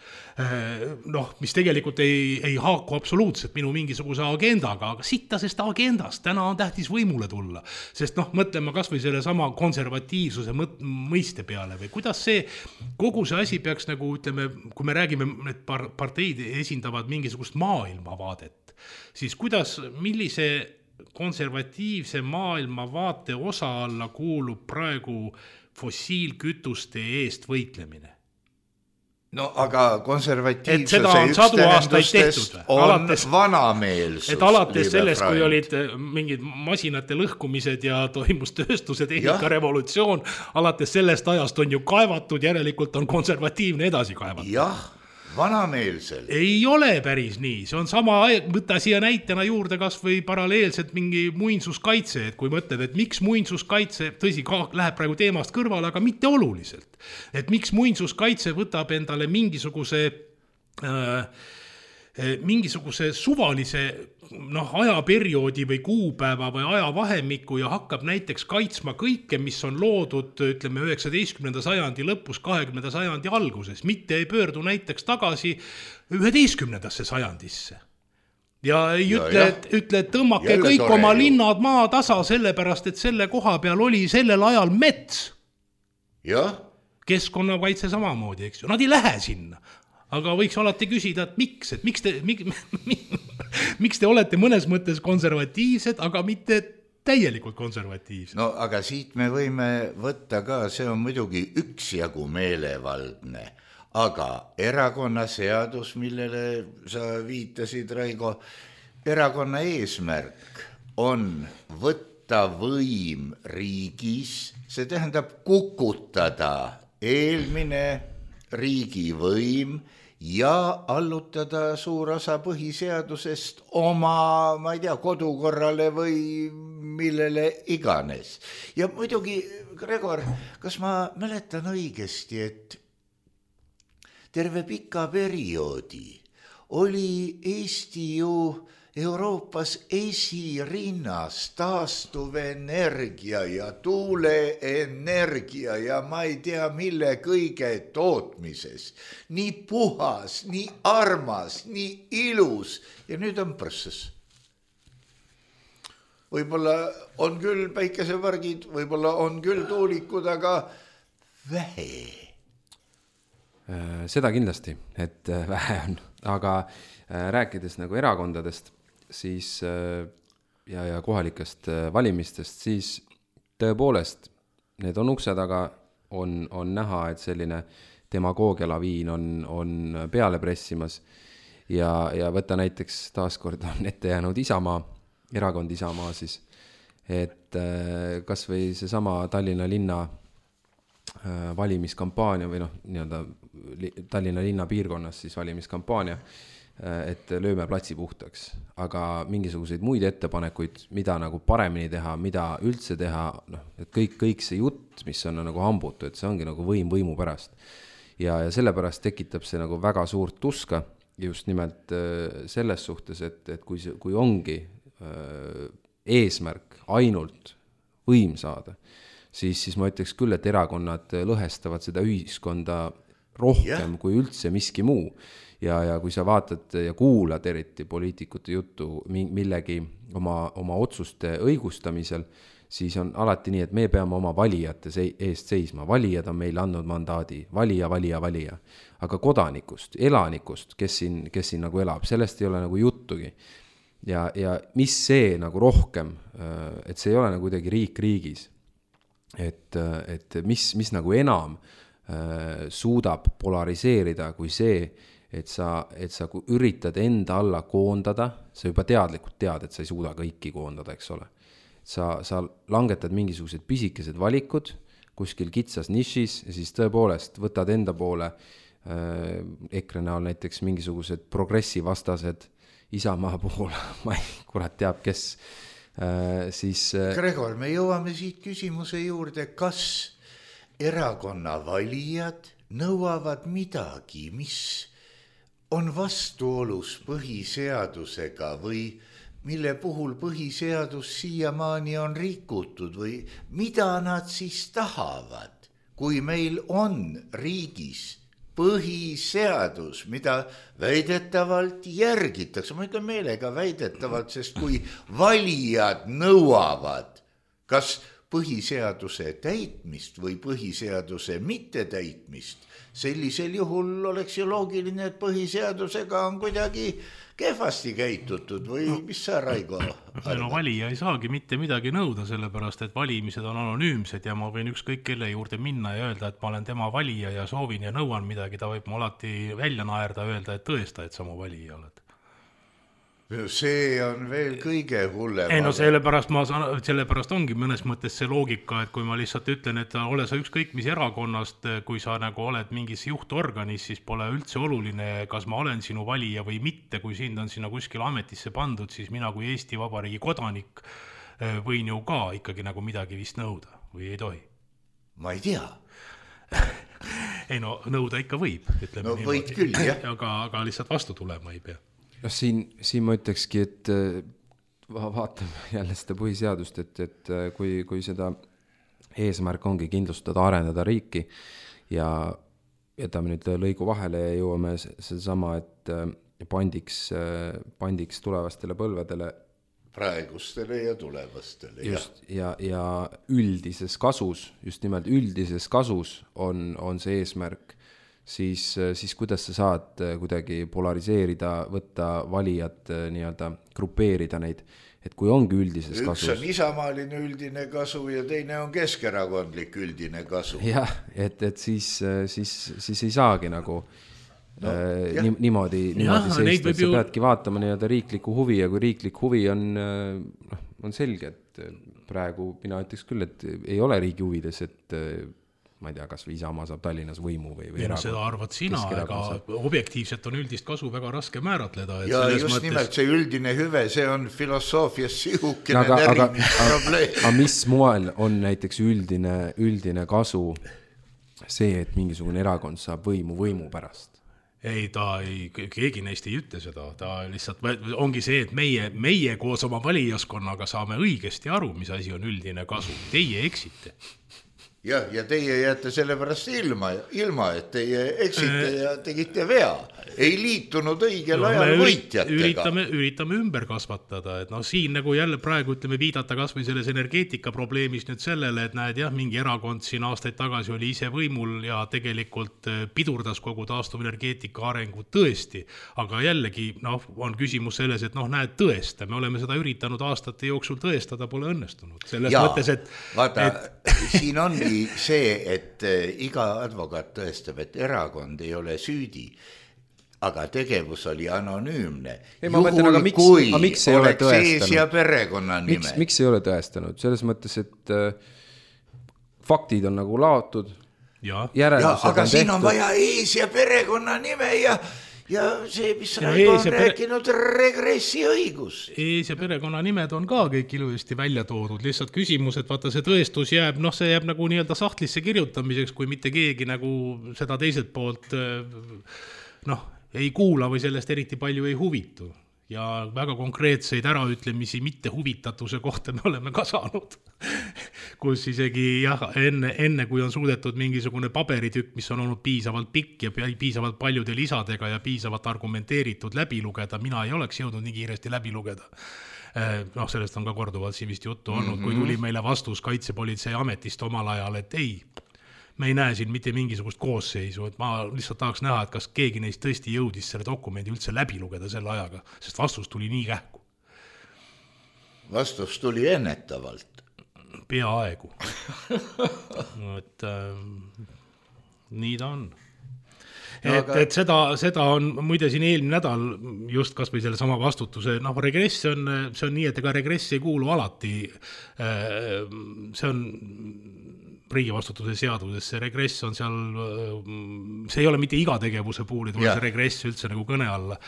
mis tegelikult ei haaku absoluutselt minu mingisuguse agendaga, aga sittasest agendast, täna on tähtis võimule tulla, sest mõtleme kas või selle sama konservatiivsuse mõiste peale või kuidas see, kogu see asi peaks nagu ütleme, kui me räägime, et parteid esindavad mingisugust maailmavaadet, siis kuidas, millise konservatiivse maailmavaate osa alla kuulub praegu fossiilkütuste eest võitlemine. Aga konservatiivsuse üks tähendustest on vanameelsus. Et alates sellest, kui olid mingid masinate lõhkumised ja toimus tööstuse tehnika revolutsioon, alates sellest ajast on ju kaevatud, järelikult on konservatiivne edasi kaevatud. Jah, vanameelsel. Ei ole päris nii, see on sama, võtta siia näitena juurde kas või paralleelselt mingi muinsuskaitse, et kui mõtled, et miks muinsuskaitse, tõsi, läheb praegu teemast kõrvale, aga mitte oluliselt, et miks muinsuskaitse võtab endale mingisuguse suvalise ajaperioodi või kuupäeva või ajavahemikku ja hakkab näiteks kaitsma kõike, mis on loodud, ütleme, 19. sajandi lõpus, 20. sajandi alguses, mitte ei pöördu näiteks tagasi 11. sajandisse. Ja ei ütle, et tõmmake kõik oma linnad maa tasa sellepärast, et selle koha peal oli sellel ajal mets. jah, keskkonnakaitse samamoodi, eks ju, nad ei lähe sinna. Aga võiks alati küsida, et miks te olete mõnes mõttes konservatiivsed, aga mitte täielikult konservatiivsed. No aga siit me võime võtta ka, see on muidugi üksjagu meelevaldne, aga erakonnaseadus, millele sa viitasid, Raigo, erakonna eesmärk on võtta võim riigis, see tähendab kukutada eelmine riigivõim ja allutada suur osa põhiseadusest oma, ma ei tea, kodukorrale või millele iganes. Ja muidugi, Gregor, kas ma mäletan õigesti, et terve pika perioodi oli Eesti ju Euroopas esirinnas taastuvenergia ja tuuleenergia ja ma ei tea mille kõige tootmises. Nii puhas, nii armas, nii ilus ja nüüd on prõsses. Võib-olla on küll päikesepargid, võib-olla on küll tuulikud, aga vähe. Seda kindlasti, et vähe on, aga rääkides nagu erakondadest, siis ja kohalikest valimistest, siis tõepoolest need on ukse taga, on näha, et selline demagoogialaviin on peale pressimas ja võtta näiteks taaskord on ette jäänud Isamaa, erakond Isamaa siis, et kas või seesama Tallinna linna valimiskampaania või nii-öelda Tallinna linna piirkonnas siis valimiskampaania, et lööme platsi puhtaks, aga mingisuguseid muid ettepanekuid, mida nagu paremini teha, mida üldse teha, et kõik see jutt, mis on nagu hambutu, et see ongi nagu võimu pärast. Ja sellepärast tekitab see nagu väga suurt tuska just nimelt selles suhtes, et kui ongi eesmärk ainult võim saada, siis ma ütleks küll, et erakonnad lõhestavad seda ühiskonda rohkem kui üldse miski muu. Ja kui sa vaatad ja kuulad eriti poliitikute juttu millegi oma otsuste õigustamisel, siis on alati nii, et me peame oma valijate eest seisma. Valijad on meile andnud mandaadi, valija. Aga kodanikust, elanikust, kes siin nagu elab, sellest ei ole nagu juttugi. Ja mis see nagu rohkem, et see ei ole nagu kuidagi riik riigis, et mis nagu enam suudab polariseerida kui see, et sa üritad enda alla koondada, sa juba teadlikult tead, et sa ei suuda kõiki koondada, eks ole. Sa langetad mingisugused pisikesed valikud kuskil kitsas nišis ja siis tõepoolest võtad enda poole EKRE näol näiteks mingisugused progressivastased Isamaa puhul, ma ei kurat teab, kes siis... Gregor, me jõuame siit küsimuse juurde, kas erakonna valijad nõuavad midagi, mis on vastuolus põhiseadusega või mille puhul põhiseadus siiamaani on rikutud või mida nad siis tahavad, kui meil on riigis põhiseadus, mida väidetavalt järgitakse, ma ütlen meelega väidetavalt, sest kui valijad nõuavad, kas põhiseaduse täitmist või põhiseaduse mittetäitmist, sellisel juhul oleks ju loogiline, et põhiseadusega on kuidagi kehvasti käitutud või mis sa, Raigo? No valija ei saagi mitte midagi nõuda, sellepärast, et valimised on anonüümsed ja ma võin ükskõik kelle juurde minna ja öelda, et ma olen tema valija ja soovin ja nõuan midagi, ta võib mu alati välja naerda, öelda, et tõesta, et sa mu valija oled. See on veel kõige hullem. Ei no sellepärast ongi mõnes mõttes see loogika, et kui ma lihtsalt ütlen, et ole sa ükskõik mis erakonnast, kui sa nagu oled mingis juhtorganis, siis pole üldse oluline, kas ma olen sinu valija või mitte, kui sind on sinna kuskil ametisse pandud, siis mina kui Eesti Vabariigi kodanik võin ju ka ikkagi nagu midagi vist nõuda või ei tohi? Ma ei tea. Ei no nõuda ikka võib, ütleme no võid küll, jah. Aga lihtsalt vastu tulema ei pea. No siin ma ütlekski, et vaatame jälle seda põhiseadust, et kui seda eesmärk ongi kindlustada, arendada riiki ja jätame nüüd lõigu vahele ja jõuame sedasama, et pandiks tulevastele põlvedele praegustele ja tulevastele. Just, ja üldises kasus, just nimelt üldises kasus on see eesmärk, siis kuidas sa saad kuidagi polariseerida, võtta valijad, nii-öelda grupeerida neid, et kui ongi üldises kasus. Üks on isamaaline üldine kasu ja teine on keskerakondlik üldine kasu. Jah, et siis ei saagi nagu niimoodi seista, et sa peadki vaatama nii-öelda riikliku huvi ja kui riiklik huvi on selge, et praegu mina ütleks küll, et ei ole riigi huvides, et ma ei tea, kas või Isamaa saab Tallinnas võimu või erakond. Seda arvad sina, aga objektiivselt on üldist kasu väga raske määratleda. Ja just nimelt see üldine hüve, see on filosoofias sihukene probleem. Aga mis moel on näiteks üldine kasu see, et mingisugune erakond saab võimu pärast? Ei, keegi neist ei ütle seda, ta lihtsalt ongi see, et meie koos oma valijaskonnaga saame õigesti aru, mis asi on üldine kasu. Teie eksite. Ja teie jääte selle pärast ilma, et teie eksite ja tegite vea. Ei liitunud õigel ajal võitjatega. Üritame ümber kasvatada, et siin nagu jälle praegu viidata kas või selles energeetika probleemis nüüd sellele, et näed jah, mingi erakond siin aastaid tagasi oli ise võimul ja tegelikult pidurdas kogu taastuvenergeetika arengu tõesti, aga jällegi on küsimus selles, et näed tõesta, me oleme seda üritanud aastate jooksul tõestada, pole õnnestunud. Selles mõttes, vaata, siin ongi see, et iga advokaat tõestab, et erakond ei ole süüdi, aga tegevus oli anonüümne. Juhul, kui oleks ees ja perekonna nime. Miks ei ole tõestanud? Selles mõttes, et faktid on nagu laotud. Aga siin on vaja ees ja perekonna nime ja see, mis Raivo on rääkinud, regressi õigus. Ees ja perekonna nimed on ka kõik ilusti välja toodud. Lihtsalt küsimus, et vaata see tõestus jääb, see jääb nagu nii-öelda sahtlisse kirjutamiseks, kui mitte keegi nagu seda teiselt poolt ei kuula või sellest eriti palju ei huvitu. Ja väga konkreetseid äraütlemisi mitte huvitatuse kohta me oleme ka saanud. Kus isegi enne kui on suudetud mingisugune paberitükk, mis on olnud piisavalt pikk ja piisavalt paljude lisadega ja piisavalt argumenteeritud läbi lugeda, mina ei oleks jõudnud nii kiiresti läbi lugeda. Sellest on ka korduvalt siin vist juttu olnud, kui tuli meile vastus kaitsepolitsei ametist omal ajal, et ei, me ei näe siin mitte mingisugust koosseisu, et ma lihtsalt tahaks näha, et kas keegi neist tõesti jõudis selle dokumendi üldse läbi lugeda selle ajaga, sest vastus tuli nii kähku. Vastus tuli ennetavalt. Peaaegu. Et nii ta on. Et seda on muide siin eelmine nädal just kas või selle sama vastutuse, regress see on nii, et ega regress ei kuulu alati, see on riigivastutuse seaduses, see regress on seal, see ei ole mitte iga tegevuse puhul, et see regress üldse nagu kõne alla.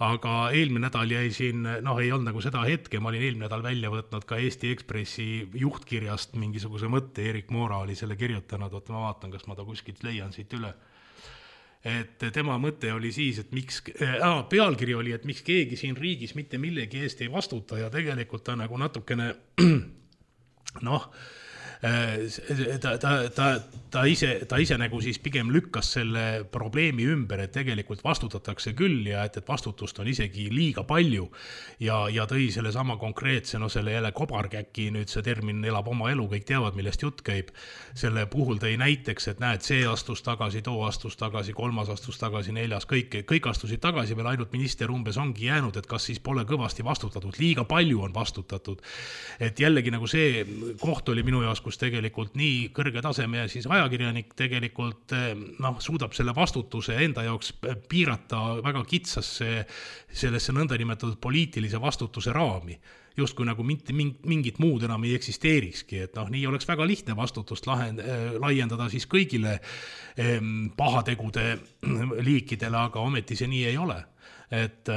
Aga eelmine nädal jäi siin, ei olnud nagu seda hetke, ma olin eelmine nädal välja võtnud ka Eesti Ekspressi juhtkirjast mingisuguse mõtte, Erik Moora oli selle kirjutanud, ma vaatan, kas ma ta kuskilt leian siit üle. Et tema mõte oli siis, et miks, pealkiri oli, et miks keegi siin riigis mitte millegi eest ei vastuta ja tegelikult ta nagu natukene, ta ise nagu siis pigem lükkas selle probleemi ümber, et tegelikult vastutatakse küll ja et vastutust on isegi liiga palju ja tõi selle sama konkreetse, selle jälle kobarkäki, nüüd see termin elab oma elu, kõik teavad, millest jutt käib. Selle puhul tõi näiteks, et näed, see astus tagasi, too astus tagasi, kolmas astus tagasi, neljas, kõik astusid tagasi, veel ainult minister umbes ongi jäänud, et kas siis pole kõvasti vastutatud, liiga palju on vastutatud. Et jällegi nagu see koht oli minu jaoks, kus tegelikult nii kõrge taseme ja siis ajakirjanik tegelikult suudab selle vastutuse enda jaoks piirata väga kitsasse sellesse nõndanimetatud poliitilise vastutuse raami. Justkui nagu mingit muud enam ei eksisteerikski, et nii oleks väga lihtne vastutust laiendada siis kõigile pahategude liikidele, aga ometi see nii ei ole. Et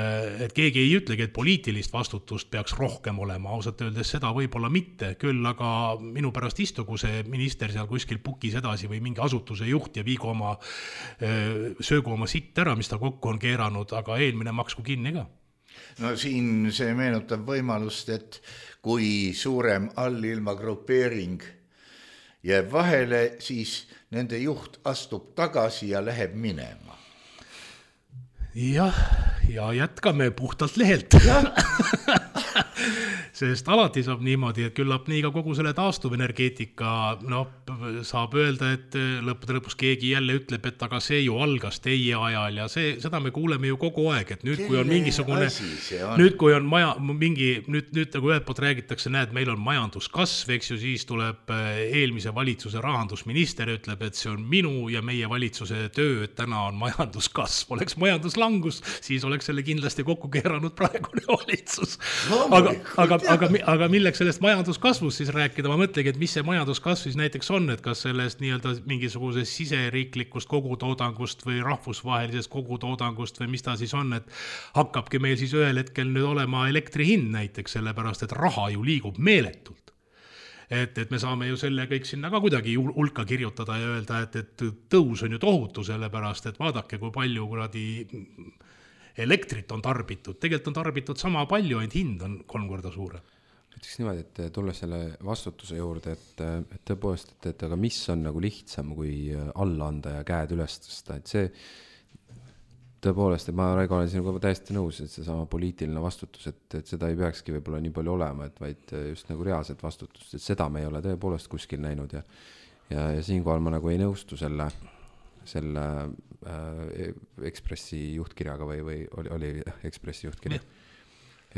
keegi ei ütlegi, et poliitilist vastutust peaks rohkem olema, ausalt öeldes seda võib-olla mitte, küll aga minu pärast istugu see minister seal kuskil pukis edasi või mingi asutuse juht ja söögu oma sitt ära, mis ta kokku on keeranud, aga eelmine maksku kinni ka. Siin see meenutab võimalust, et kui suurem allilma grupeering jääb vahele, siis nende juht astub tagasi ja läheb minema. Ja jätkame puhtalt lehelt. Sest alati saab niimoodi, et küllap nii ka kogu selle taastuvenergeetika, saab öelda, et lõppude lõpus keegi jälle ütleb, et aga see ju algas teie ajal ja seda me kuuleme ju kogu aeg, et nüüd, kui on mingisugune, nüüd, kui on nüüd nagu ühelt poolt räägitakse, näed, meil on majanduskasv, eks ju, siis tuleb eelmise valitsuse rahandusminister ja ütleb, et see on minu ja meie valitsuse töö, et täna on majanduskasv, oleks majanduslangus, siis oleks selle kindlasti kokku keeranud praegune valitsus. Aga milleks sellest majanduskasvust siis rääkida, ma mõtlengi, et mis see majanduskasv siis näiteks on, et kas sellest nii-öelda mingisugusest siseriiklikust kogutoodangust või rahvusvahelisest kogutoodangust või mis ta siis on, et hakkabki meil siis ühel hetkel nüüd olema elektri hind näiteks, sellepärast et raha ju liigub meeletult. Et me saame ju selle kõik sinna ka kuidagi hulka kirjutada ja öelda, et tõus on ju tohutu sellepärast, et vaadake, kui palju kuradi elektrit on tarbitud, tegelikult on tarbitud sama palju, ainult hind on 3 korda suurem. Ütleks niimoodi, et tulla selle vastutuse juurde, et tõepoolest, et aga mis on nagu lihtsam kui alla anda ja käed üles tõsta, et see tõepoolest, et ma Raigo olen sinuga täiesti nõus, et see sama poliitiline vastutus, et seda ei peakski võib-olla nii palju olema, et vaid just nagu reaalset vastutust, et seda me ei ole tõepoolest kuskil näinud ja siinkohal ma nagu ei nõustu selle Ekspressi juhtkirjaga või oli Ekspressi juhtkirja.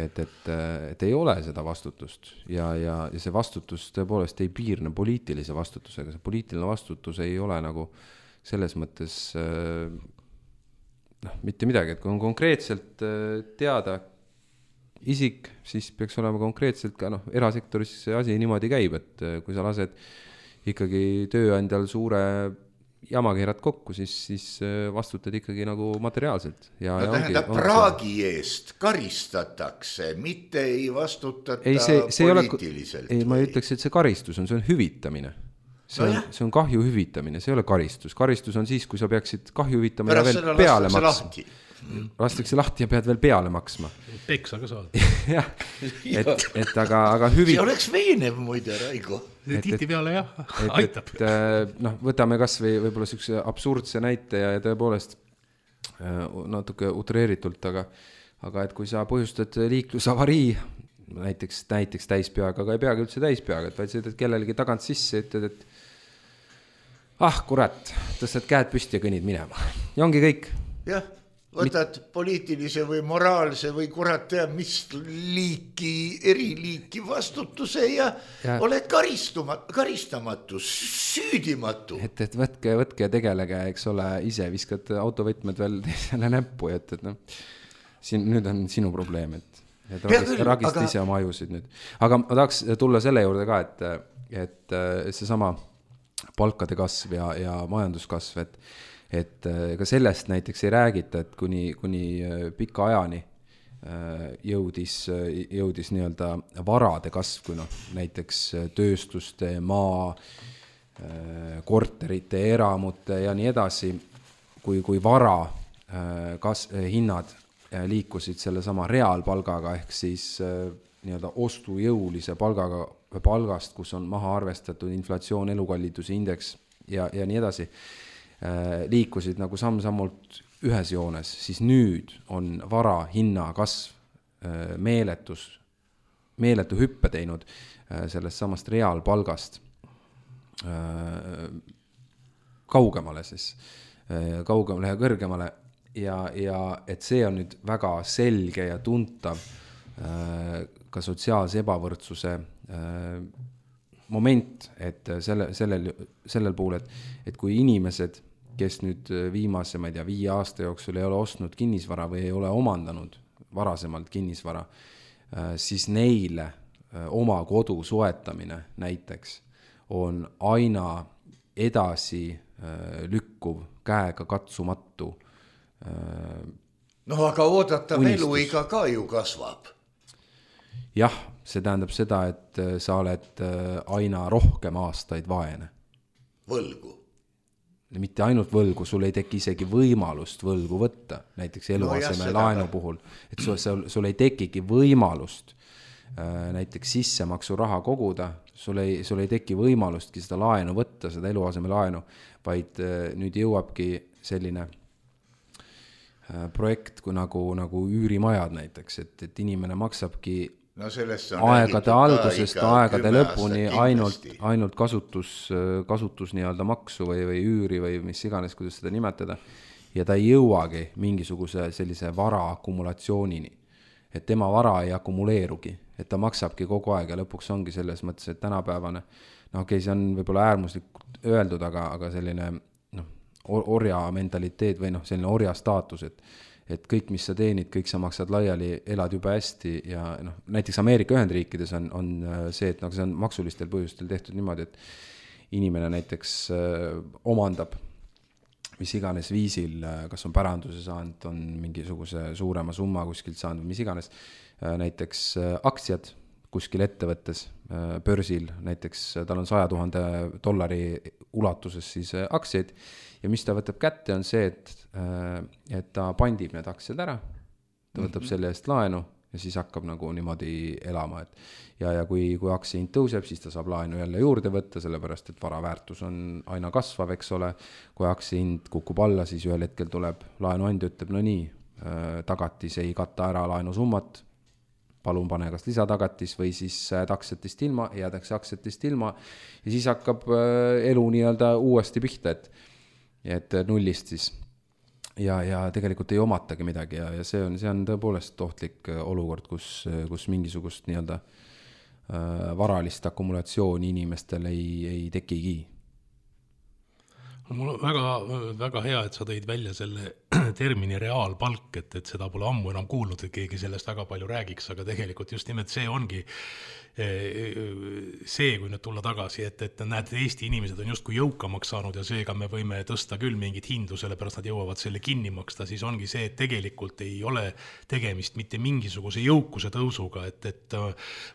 Et ei ole seda vastutust ja see vastutus tõepoolest ei piirne poliitilise vastutusega, see poliitiline vastutus ei ole nagu selles mõttes mitte midagi, et kui on konkreetselt teada isik, siis peaks olema konkreetselt ka erasektoris see asi niimoodi käib, et kui sa lased ikkagi tööandjal suure jama keerad kokku, siis vastutad ikkagi nagu materiaalselt. Tähendab, praagi eest karistatakse, mitte ei vastutata poliitiliselt. Ei, ma ütleks, et see karistus on hüvitamine. See on kahju hüvitamine, see ei ole karistus. Karistus on siis, kui sa peaksid kahju hüvitama ja veel peale maksma. Lastakse lahti ja pead veel peale maksma. Peksa ka saad. Jah, aga hüvit... See oleks veenev muide, Raigo. Tihti peale jah, aitab. Võtame kas või võib-olla sellise absurdse näite ja tõepoolest natuke utreeritult, aga et kui sa põhjustad liiklusavarii, näiteks täispeaga, aga ei peagi üldse täispeaga, et vaid sõidad kellelegi tagant sisse ja ütled, et kurat, tõstad käed püsti ja kõnnid minema. Ja ongi kõik. Jah. Võtad poliitilise või moraalse või kurat teab mis eriliiki vastutuse ja oled karistamatu, süüdimatu. Et võtke ja tegelege, eks ole, ise viskad autovõtmed veel teisele näppu, et nüüd on sinu probleem, et ragist ise oma ajusid nüüd. Aga ma tahaks tulla selle juurde ka, et see sama palkade kasv ja majanduskasv, et ka sellest näiteks ei räägita, et kuni pika ajani jõudis nii-öelda varade kasv, kui näiteks tööstuste, maa, korterite, eramute ja nii edasi, kui vara hinnad liikusid selle sama reaalpalgaga ehk siis nii-öelda ostujõulise palgast, kus on maha arvestatud inflatsioon, elukalliduse indeks ja nii edasi, liikusid nagu samm-sammult ühes joones, siis nüüd on vara hinna kasv meeletu hüppe teinud sellest samast reaalpalgast kaugemale ja kõrgemale ja et see on nüüd väga selge ja tuntav ka sotsiaalse ebavõrdsuse moment, et sellel puhul, et kui inimesed, kes nüüd viimase, 5 aasta jooksul ei ole ostnud kinnisvara või ei ole omandanud varasemalt kinnisvara, siis neile oma kodu soetamine näiteks on aina edasi lükkuv, käega katsumatu. Aga oodatav eluiga ka ju kasvab. Jah, see tähendab seda, et sa oled aina rohkem aastaid vaene. Võlgu. Mitte ainult võlgu, sul ei teki isegi võimalust võlgu võtta, näiteks eluaseme laenu puhul, et sul ei tekigi võimalust näiteks sissemaksu raha koguda, sul ei teki võimalustki seda laenu võtta, seda eluaseme laenu, vaid nüüd jõuabki selline projekt kui nagu üürimajad näiteks, et inimene maksabki No aegade algusest aegade lõpuni ainult kasutus nii-öelda maksu või üüri või mis iganes, kuidas seda nimetada. Ja ta ei jõuagi mingisuguse sellise vara akumulatsioonini. Et tema vara ei akumuleerugi, et ta maksabki kogu aeg ja lõpuks ongi selles mõttes, et tänapäevane, see on võib-olla äärmuslikult öeldud, aga selline orja mentaliteet või selline orja staatus, et kõik, mis sa teenid, kõik sa maksad laiali, elad juba hästi ja näiteks Ameerika Ühendriikides on see, et see on maksulistel põhjustel tehtud niimoodi, et inimene näiteks omandab mis iganes viisil, kas on päranduse saanud, on mingisuguse suurema summa kuskilt saanud, mis iganes, näiteks aktsiad kuskil ettevõttes, börsil, näiteks tal on $100,000 ulatuses siis aktsiaid ja mis ta võtab kätte on see, et ta pandib need aktsiad ära, ta võtab selle eest laenu ja siis hakkab nagu niimoodi elama. Ja kui aktsia hind tõuseb, siis ta saab laenu jälle juurde võtta, sellepärast et vara väärtus on aina kasvav, eks ole. Kui aktsia hind kukub alla, siis ühel hetkel tuleb laenuandja, ütleb, no nii, tagatis ei katta ära laenusummat, palun pane kas lisatagatis või siis aktsiatest ilma, jäädakse aktsiatest ilma ja siis hakkab elu nii-öelda uuesti pihta, et nullist siis ja tegelikult ei omatagi midagi ja see on tõepoolest ohtlik olukord, kus mingisugust nii-öelda varalist akkumulatsiooni inimestel ei tekigi. Mul on väga hea, et sa tõid välja selle termini reaalpalk, et seda pole ammu enam kuulnud, et keegi sellest väga palju räägiks, aga tegelikult just nimelt see ongi see, kui nüüd tulla tagasi, et näed, Eesti inimesed on justkui jõukamaks saanud ja seega me võime tõsta küll mingit hindu, sellepärast nad jõuavad selle kinni maksta, siis ongi see, et tegelikult ei ole tegemist mitte mingisuguse jõukuse tõusuga, et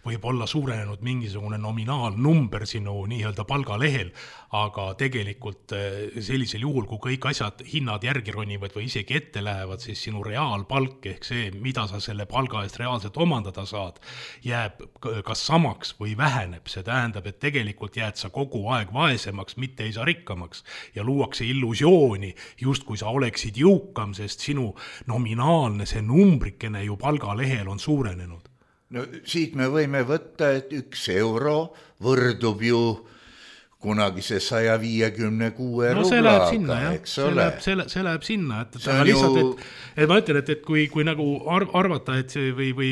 võib olla suurenenud mingisugune nominaalnumber sinu nii-öelda palgalehel, aga tegelikult sellisel juhul, kui kõik asjad, hinnad järgi ronivad või isegi ette lähevad, siis sinu reaalpalk ehk see, mida sa selle palga eest reaalselt omandada saad, jääb kas samaks või väheneb. See tähendab, et tegelikult jääd sa kogu aeg vaesemaks, mitte ei saa rikkamaks ja luuakse illusiooni, just kui sa oleksid jõukam, sest sinu nominaalne see numbrikene ju palgalehel on suurenenud. No siit me võime võtta, et 1 euro võrdub ju kunagi see 156 rublaga, eks ole. See läheb sinna, aga lihtsalt, et ma ütlen, et kui nagu arvata, et või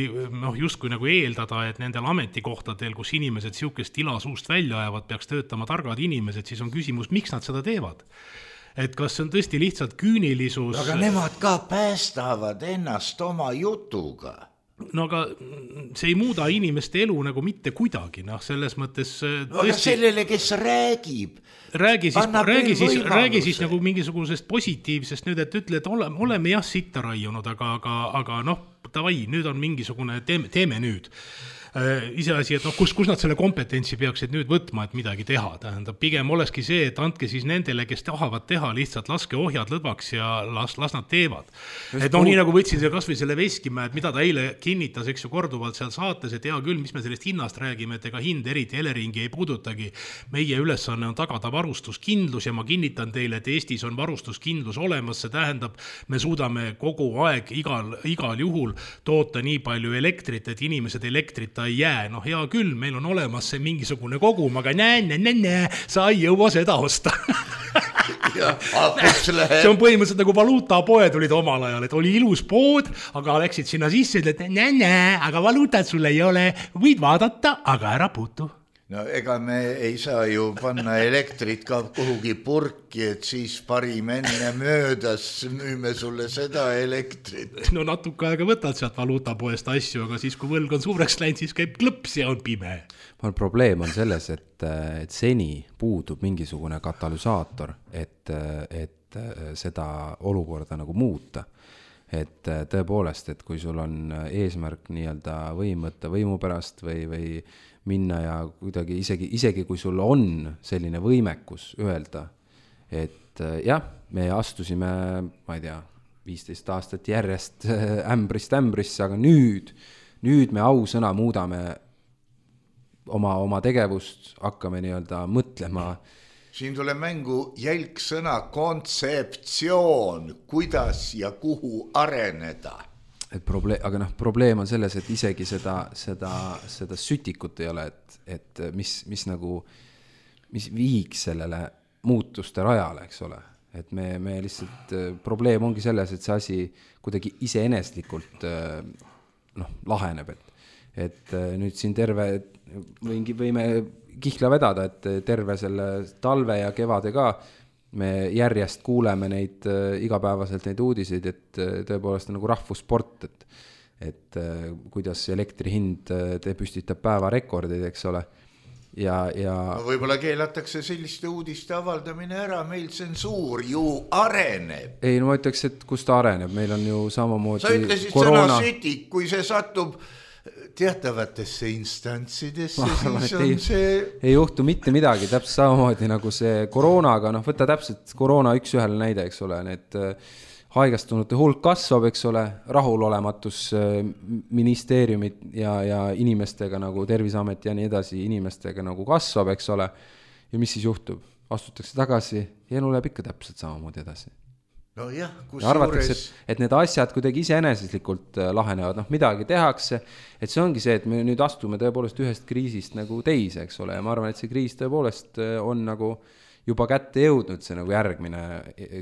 just kui nagu eeldada, et nendel ametikohtadel, kus inimesed siukest tila suust välja ajavad, peaks töötama targad inimesed, siis on küsimus, miks nad seda teevad? Et kas see on tõesti lihtsalt küünilisus? Aga nemad ka päästavad ennast oma jutuga. No aga see ei muuda inimeste elu nagu mitte kuidagi, selles mõttes tõesti... Aga sellele, kes räägib, räägi siis nagu mingisugusest positiivsest nüüd, et ütle, et oleme jah sitta raiunud, aga davai, nüüd on mingisugune, teeme nüüd. Iseasi, et kus nad selle kompetentsi peaksid nüüd võtma, et midagi teha. Tähendab, pigem olekski see, et andke siis nendele, kes tahavad teha, lihtsalt laske ohjad lõdvaks ja las nad teevad. Et nii nagu võtsin see kas või selle Veskimäe, et mida ta eile kinnitas, eks ju korduvalt seal saates, et hea küll, mis me sellest hinnast räägime, et ega hind eriti Eleringi ei puudutagi. Meie ülesanne on tagada varustuskindlus ja ma kinnitan teile, et Eestis on varustuskindlus olemas, see tähendab, me suudame kogu aeg igal juhul toota nii palju elektrit, et inimesed elektrita ei jää, hea küll, meil on olemas see mingisugune kogum, aga sa ei jõua seda osta. See on põhimõtteliselt nagu valuutapoed olid omal ajal, et oli ilus pood, aga läksid sinna sisse, et aga valuutat sul ei ole, võid vaadata, aga ära puutu. No ega me ei saa ju panna elektrit ka kuhugi purki, et siis parim enne möödas müüme sulle seda elektrit. No natuke aega võtad sealt valuutapoest asju, aga siis kui võlg on suureks läinud, siis käib klõps ja on pime. Probleem on selles, et seni puudub mingisugune katalüsaator, et seda olukorda nagu muuta. Et tõepoolest, et kui sul on eesmärk nii-öelda võtta võimu pärast või minna ja kuidagi isegi kui sul on selline võimekus öelda, et jah, me astusime, ma ei tea, 15 aastat järjest ämbrisse, aga nüüd me ausõna muudame oma tegevust, hakkame nii-öelda mõtlema. Siin tuleb mängu jälgsõna kontseptsioon, kuidas ja kuhu areneda. aga probleem on selles, et isegi seda sütikut ei ole, et mis nagu, mis viiks sellele muutuste rajale, eks ole. Et me lihtsalt, probleem ongi selles, et see asi kuidagi iseeneslikult laheneb, et nüüd siin võime kihla vedada, et terve selle talve ja kevade ka me järjest kuuleme neid igapäevaselt neid uudiseid, et tõepoolest on nagu rahvussport, et kuidas elektri hind püstitab päevarekordid, eks ole. Ja võib-olla keelatakse selliste uudiste avaldamine ära, meil tsensuur ju areneb. Ei, no ma ütleks, et kus ta areneb, meil on ju samamoodi sa ütlesid sõna sütik, kui see satub teatavatesse instantsidesse, siis on see... Ei juhtu mitte midagi, täpselt samamoodi nagu see koroonaga, võta täpselt koroona üks ühele näide, eks ole, need haigastunute hulk kasvab, eks ole, rahulolematus ministeeriumid ja inimestega nagu Terviseameti ja nii edasi inimestega nagu kasvab, eks ole, ja mis siis juhtub? Astutakse tagasi ja elu läheb ikka täpselt samamoodi edasi. No jah, ja arvatakse, et need asjad kuidagi iseeneslikult lahenevad, midagi tehakse, et see ongi see, et me nüüd astume tõepoolest ühest kriisist nagu teise, eks ole, ja ma arvan, et see kriis tõepoolest on nagu juba kätte jõudnud see nagu järgmine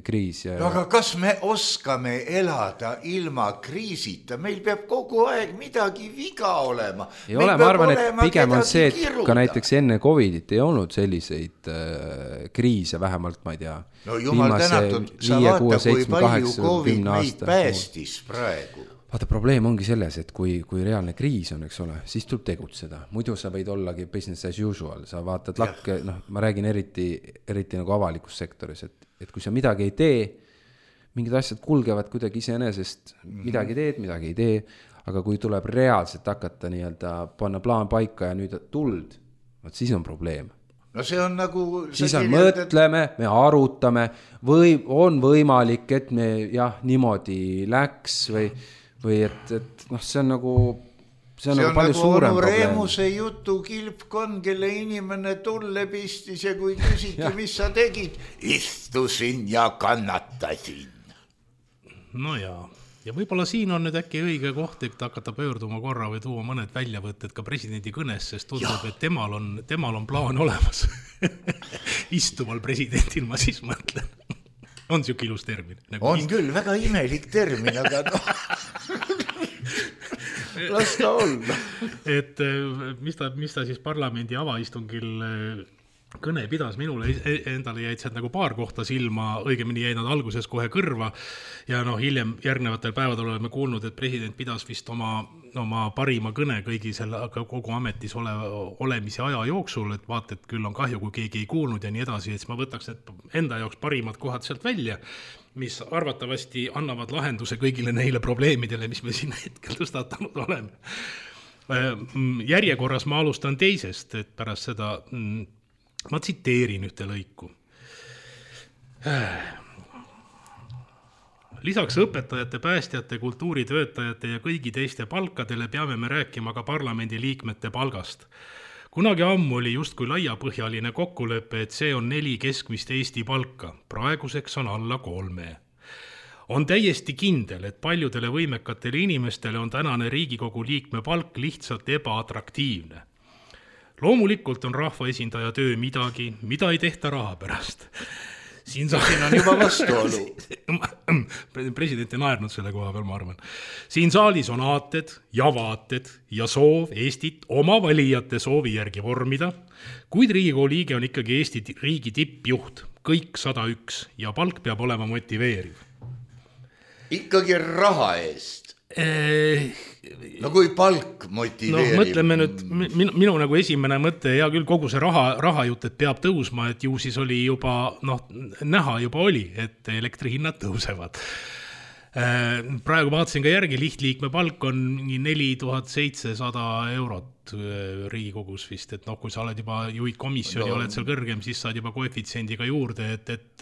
kriis. Aga kas me oskame elada ilma kriisita? Meil peab kogu aeg midagi viga olema. Ei ole, ma arvan, et pigem on see, et ka näiteks enne Covidit ei olnud selliseid kriise, vähemalt ma ei tea. No jumal tänatud, sa vaata, kui palju Covid meid päästis praegu. Vaata, probleem ongi selles, et kui reaalne kriis on, eks ole, siis tuleb tegutseda. Muidu sa võid ollagi business as usual, sa vaatad lakke, ma räägin eriti nagu avalikus sektoris, et kui sa midagi ei tee, mingid asjad kulgevad kuidagi iseenesest, midagi ei tee, aga kui tuleb reaalselt hakata nii-öelda panna plaan paika ja nüüd tuld, siis on probleem. No see on nagu... Siis on mõtleme, me arutame, või on võimalik, et me niimoodi läks või et see on nagu palju suurem probleem. Reemuse jutu kilpkond, kelle inimene tulle pistis ja kui küsiti, mis sa tegid, istusin ja kannatasin. No ja võib-olla siin on nüüd äkki õige koht, et hakata pöörduma korra või tuua mõned väljavõtted ka presidendi kõnes, sest tundub, et temal on plaan olemas. Istuval presidendil ma siis mõtlen. On siuke ilus termin. On küll, väga imelik termin, aga las ta olla. Et mis ta siis parlamendi avaistungil kõne pidas, minule endale jäid sealt nagu paar kohta silma, õigemini jäid nad alguses kohe kõrva ja hiljem järgnevatel päevadel oleme kuulnud, et president pidas vist oma parima kõne kõigi selle kogu ametis olemise aja jooksul, et vaata, et küll on kahju, kui keegi ei kuulnud ja nii edasi, et siis ma võtaks enda jaoks parimad kohad sealt välja, mis arvatavasti annavad lahenduse kõigile neile probleemidele, mis me siin hetkel tõstatanud oleme. Järjekorras ma alustan teisest, et pärast seda ma tsiteerin ühte lõiku. Lisaks õpetajate, päästjate, kultuuritöötajate ja kõigi teiste palkadele peame me rääkima ka parlamendi liikmete palgast. Kunagi ammu oli justkui laiapõhjaline kokkulepe, et see on 4 keskmist Eesti palka. Praeguseks on alla 3. On täiesti kindel, et paljudele võimekatele inimestele on tänane Riigikogu liikme palk lihtsalt ebaatraktiivne. Loomulikult on rahvaesindaja töö midagi, mida ei tehta raha pärast. Siin on juba vastuolu. President ei naernud selle koha peal, ma arvan. Siin saalis on aated ja soov Eestit oma valijate soovi järgi vormida, kuid Riigikogu liige on ikkagi Eesti riigi tippjuht, kõik 101 ja palk peab olema motiveeriv. Ikkagi raha eest. No kui palk motiveerib. Mõtleme nüüd, minu nagu esimene mõte, ja küll kogu see raha jutt, et peab tõusma, et ju siis oli juba, näha juba oli, et elektrihinnad tõusevad. Praegu vaatasin ka järgi, lihtliikme palk on 4700 eurot Riigikogus vist, et kui sa oled juba juhid komisjoni, oled seal kõrgem, siis saad juba koefitsiendiga juurde, et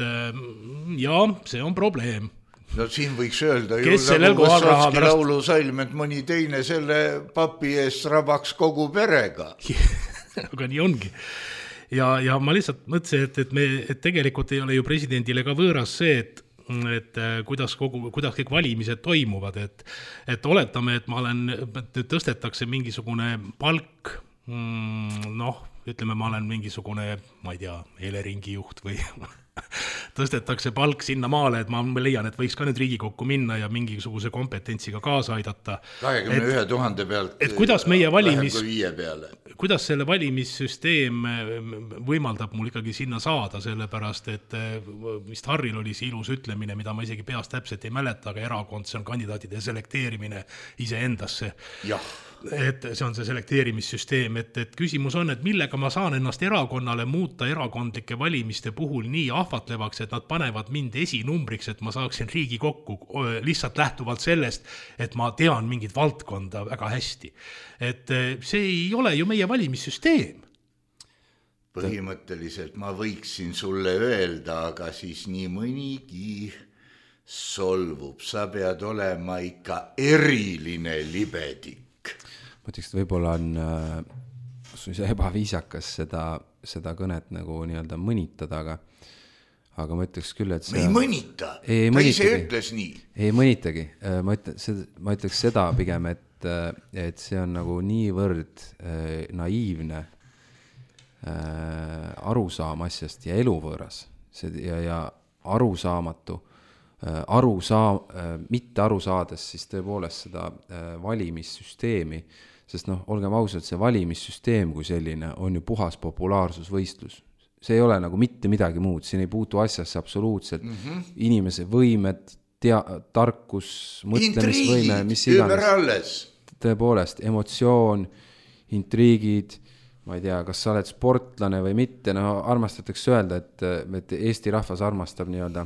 see on probleem. No siin võiks öelda ju nagu Vassovski laulusalm, et mõni teine selle papi eest rabaks kogu perega. Aga nii ongi. Ja ma lihtsalt mõtlesin, et tegelikult ei ole ju presidendile ka võõras see, kuidas kõik valimised toimuvad, et oletame, et tõstetakse mingisugune palk, ütleme, ma olen mingisugune, ma ei tea, Eleringi juht või tõstetakse palk sinna maale, et ma leian, et võiks ka nüüd Riigikokku minna ja mingisuguse kompetentsiga kaasa aidata. 21 000 pealt et kuidas meie vähem kui 5 peale. Kuidas selle valimissüsteem võimaldab mul ikkagi sinna saada, sellepärast, et vist Harril oli see ilus ütlemine, mida ma isegi peast täpselt ei mäleta, aga erakond, see on kandidaatide selekteerimine iseendasse. Jah. Et see on see selekteerimissüsteem, et küsimus on, et millega ma saan ennast erakonnale muuta erakondlike valimiste puhul nii ahvatlevaks, et nad panevad mind esinumbriks, et ma saaksin Riigikokku lihtsalt lähtuvalt sellest, et ma tean mingit valdkonda väga hästi. Et see ei ole ju meie valimissüsteem. Põhimõtteliselt ma võiksin sulle öelda, aga siis nii mõnigi solvub. Sa pead olema ikka eriline libedik. Ma ütleks, et võib-olla on ebaviisakas seda kõnet nagu nii-öelda mõnitada, aga ma ütleks küll, et me ei mõnita, ta ise ütles nii. Ei mõnitagi, ma ütleks seda pigem, et see on nagu niivõrd naiivne arusaam asjast ja eluvõõras ja arusaamatu, mitte aru saades siis tõepoolest seda valimissüsteemi, sest olgem ausad, see valimissüsteem kui selline on ju puhas populaarsusvõistlus. See ei ole nagu mitte midagi muud, siin ei puutu asjasse absoluutselt inimese võimed, tarkus, mõtlemisvõime, mis iganes. Tõepoolest, emotsioon, intriigid, ma ei tea, kas sa oled sportlane või mitte, armastatakse öelda, et Eesti rahvas armastab nii-öelda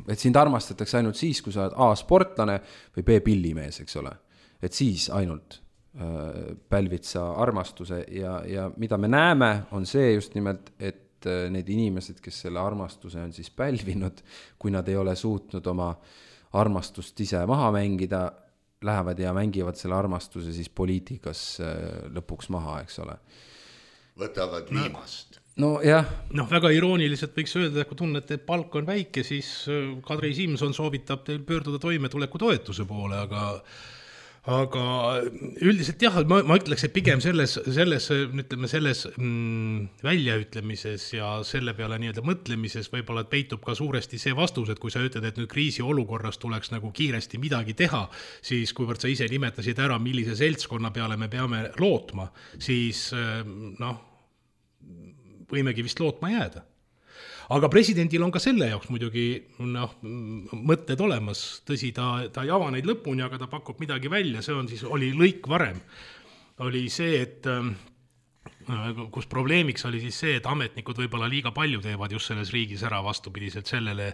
et sind armastatakse ainult siis, kui sa oled A sportlane või B pillimees, eks ole. Et siis ainult pälvid sa armastuse ja mida me näeme, on see just nimelt, et need inimesed, kes selle armastuse on siis pälvinud, kui nad ei ole suutnud oma armastust ise maha mängida, lähevad ja mängivad selle armastuse siis poliitikas lõpuks maha, eks ole. Võtavad viimast. No jah. Väga irooniliselt võiks öelda, et kui tunnete, et palk on väike, siis Kadri Simson soovitab teil pöörduda toimetuleku toetuse poole, aga üldiselt jah, ma ütleks, et pigem selles väljaütlemises ja selle peale nii-öelda mõtlemises võib-olla peitub ka suuresti see vastus, et kui sa ütled, et nüüd kriisi olukorras tuleks nagu kiiresti midagi teha, siis kuivõrd sa ise nimetasid ära, millise seltskonna peale me peame lootma, siis võimegi vist lootma jääda. Aga presidendil on ka selle jaoks muidugi mõtted olemas, tõsi, ta ei ava neid lõpuni, aga ta pakub midagi välja, see on siis, oli lõik varem. Oli see, et kus probleemiks oli siis see, et ametnikud võib-olla liiga palju teevad just selles riigis ära vastupidiselt sellele,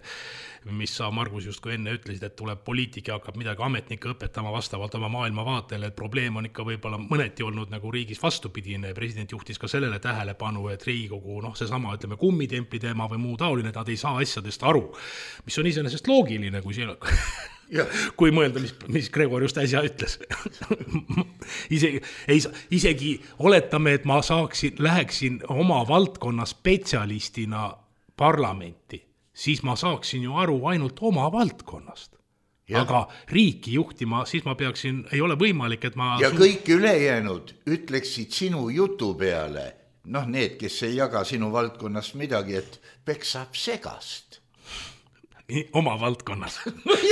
mis sa, Margus, just kui enne ütlesid, et tuleb poliitik ja hakkab midagi ametnikke õpetama vastavalt oma maailmavaatele, et probleem on ikka võib-olla mõneti olnud nagu riigis vastupidine. President juhtis ka sellele tähelepanu, et Riigikogu, seesama, ütleme, kummitempli teema või muu taoline, et nad ei saa asjadest aru, mis on iseenesest loogiline, kui siin kui mõelda, mis Gregor just äsja ütles. Isegi oletame, et ma läheksin oma valdkonna spetsialistina parlamenti, siis ma saaksin ju aru ainult oma valdkonnast. Ja. Aga riiki juhtima, siis ma peaksin, ei ole võimalik, et ma... Ja kõik ülejäänud ütleksid sinu jutu peale, need, kes ei jaga sinu valdkonnast midagi, et peksab segast. Oma valdkonnas.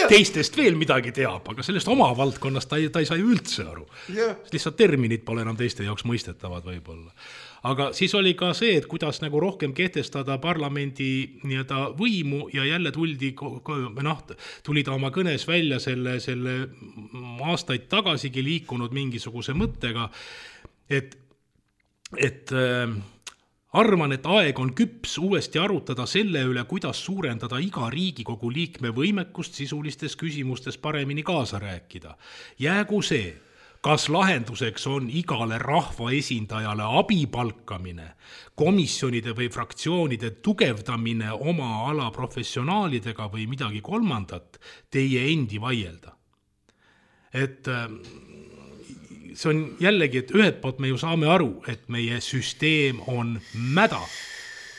Teistest veel midagi teab, aga sellest oma valdkonnast ta ei saa ju üldse aru. Lihtsalt terminid pole enam teiste jaoks mõistetavad võib-olla. Aga siis oli ka see, et kuidas nagu rohkem kehtestada parlamendi nii-öelda võimu ja jälle tuli ta oma kõnes välja selle aastaid tagasigi liikunud mingisuguse mõttega, et arvan, et aeg on küps uuesti arutada selle üle, kuidas suurendada iga Riigikogu liikme võimekust sisulistes küsimustes paremini kaasa rääkida. Jäägu see, kas lahenduseks on igale rahvaesindajale abipalkamine, komisjonide või fraktsioonide tugevdamine oma ala professionaalidega või midagi kolmandat, teie endi vaielda. Et see on jällegi, et ühed poolt me ju saame aru, et meie süsteem on mäda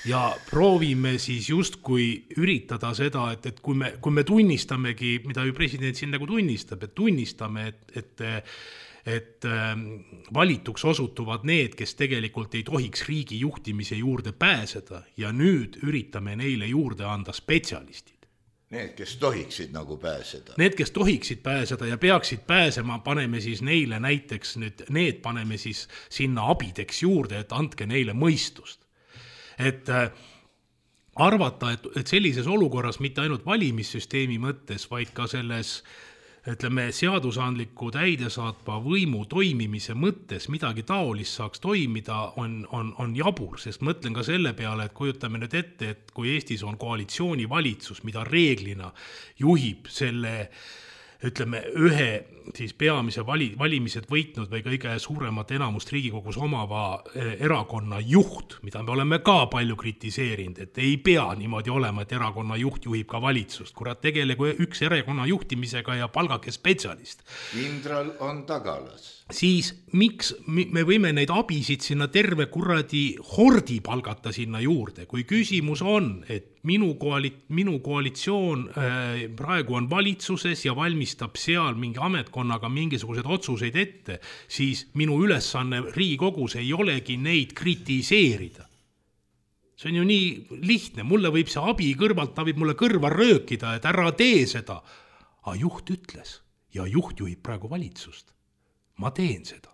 ja proovime siis justkui üritada seda, et kui me tunnistamegi, mida ju president siin nagu tunnistab, et tunnistame, et valituks osutuvad need, kes tegelikult ei tohiks riigi juhtimise juurde pääseda ja nüüd üritame neile juurde anda spetsialistid. Need, kes tohiksid nagu pääseda. Need, kes tohiksid pääseda ja peaksid pääsema, paneme siis neile näiteks need paneme siis sinna abideks juurde, et andke neile mõistust. Et arvata, et sellises olukorras mitte ainult valimissüsteemi mõttes, vaid ka selles ütleme, seadusandliku täidesaatva võimu toimimise mõttes midagi taolist saaks toimida, on jabur, sest mõtlen ka selle peale, et kujutame nüüd ette, et kui Eestis on koalitsioonivalitsus, mida reeglina juhib selle, ütleme, ühe siis peamise valimised võitnud või kõige suuremat enamust Riigikogus omava erakonna juht, mida me oleme ka palju kritiseerinud, et ei pea niimoodi olema, et erakonna juht juhib ka valitsust. Kurat, tegelegu üks erakonna juhtimisega ja palgake spetsialist. Kindral on tagalas. Siis miks me võime neid abisid sinna terve kuradi hordi palgata sinna juurde, kui küsimus on, et minu koalitsioon praegu on valitsuses ja valmistab seal mingi ametkonnaga mingisugused otsuseid ette, siis minu ülesanne Riigikogus ei olegi neid kritiseerida. See on ju nii lihtne, mulle võib see abi kõrvalt, ta võib mulle kõrva röökida, et ära tee seda. Aga juht ütles ja juht juhib praegu valitsust. Ma teen seda.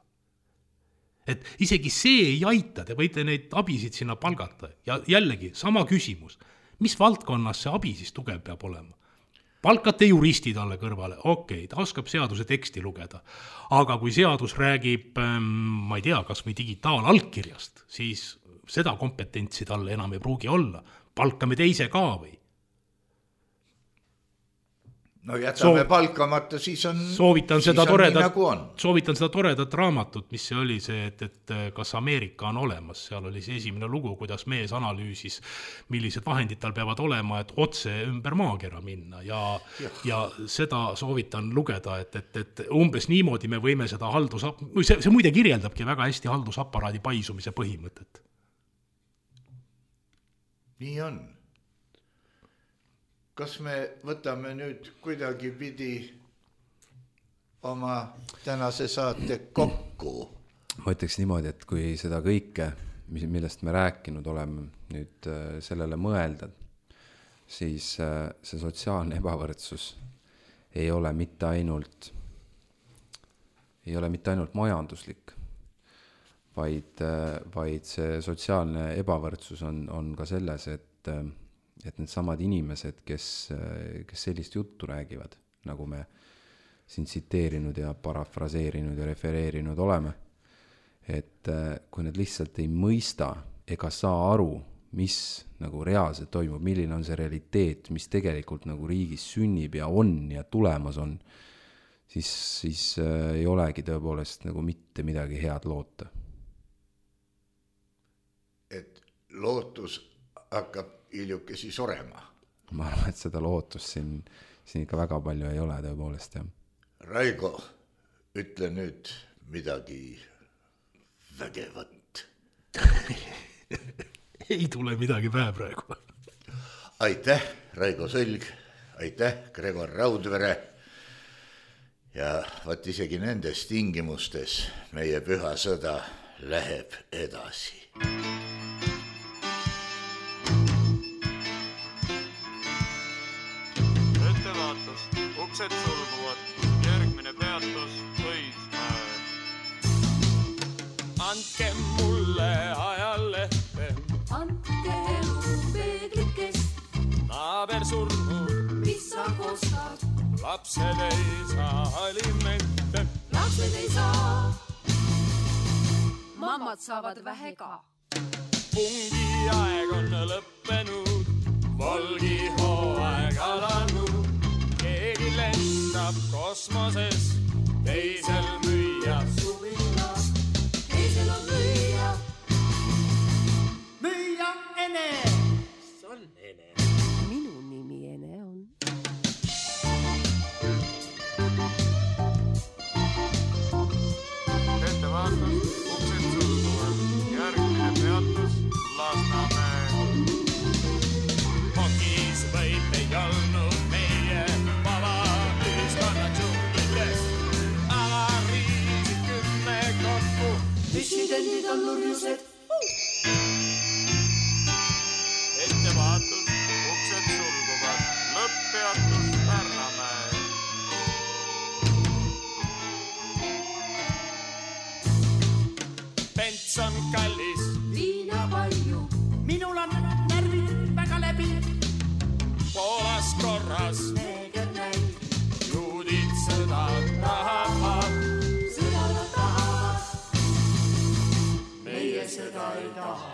Et isegi see ei aita, te võite neid abisid sinna palgata. Ja jällegi, sama küsimus. Mis valdkonnas see abi siis tugev peab olema? Palkate juristi talle kõrvale, okei, ta oskab seaduse teksti lugeda. Aga kui seadus räägib, ma ei tea, kas või digitaalallkirjast, siis seda kompetentsi talle enam ei pruugi olla. Palkame teise ka või? No jätame palkamata, siis on soovitan seda nii toredat raamatut, mis see oli see, et kas Ameerika on olemas. Seal oli see esimene lugu, kuidas mees analüüsis, millised vahendid tal peavad olema, et otse ümber maakera minna. Ja seda soovitan lugeda, et umbes niimoodi me võime seda see muide kirjeldabki väga hästi haldusaparaadi paisumise põhimõtet. Nii on. Kas me võtame nüüd kuidagi pidi oma tänase saate kokku? Ma ütleks niimoodi, et kui seda kõike, millest me rääkinud oleme, nüüd sellele mõelda, siis see sotsiaalne ebavõrdsus ei ole mitte ainult majanduslik, vaid see sotsiaalne ebavõrdsus on ka selles, et need samad inimesed, kes sellist juttu räägivad, nagu me siin tsiteerinud ja parafraseerinud ja refereerinud oleme, et kui nad lihtsalt ei mõista ega saa aru, mis nagu reaalselt toimub, milline on see realiteet, mis tegelikult nagu riigis sünnib ja on ja tulemas on, siis ei olegi tõepoolest nagu mitte midagi head loota. Et lootus hakkab hiljukesi surema. Ma arvan, et seda lootust siin ikka väga palju ei ole tõepoolest. Ja. Raigo, ütle nüüd midagi vägevat. Ei tule midagi pähe praegu. Aitäh, Raigo Sõlg, aitäh, Gregor Raudvere. Ja vaat isegi nendes tingimustes meie püha sõda läheb edasi. Uksed sulguvad, järgmine peatus Õismäe. Andke mulle ajalehte, andke peeglikest, naaber surnud, mis sa kostad, lapsed ei saa alimente, lapsed ei saa, mammad saavad vähe ka. Pungi aeg on lõppenud, volgi hooaeg alanud, keegi lendab kosmoses, teisel müüa suvila, teisel on müüa. Müüa Ene. Mis on Ene? Minu nimi Ene on. Ettevaatus, uksed sulguvad, järgmine peatus Lasnamäe. dissidendid on nurjused. Ettevaatus, uksed sulguvad, lõpppeatus Pärnamäe. Pents on kallis, Viina palju, minul on närvid väga läbi. Poolas korras, neeger näib, juudid sõda tahavad. sõdala tahavad, meie sõda ei taha.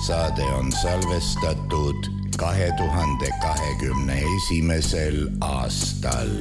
Saade on salvestatud 2021. aastal.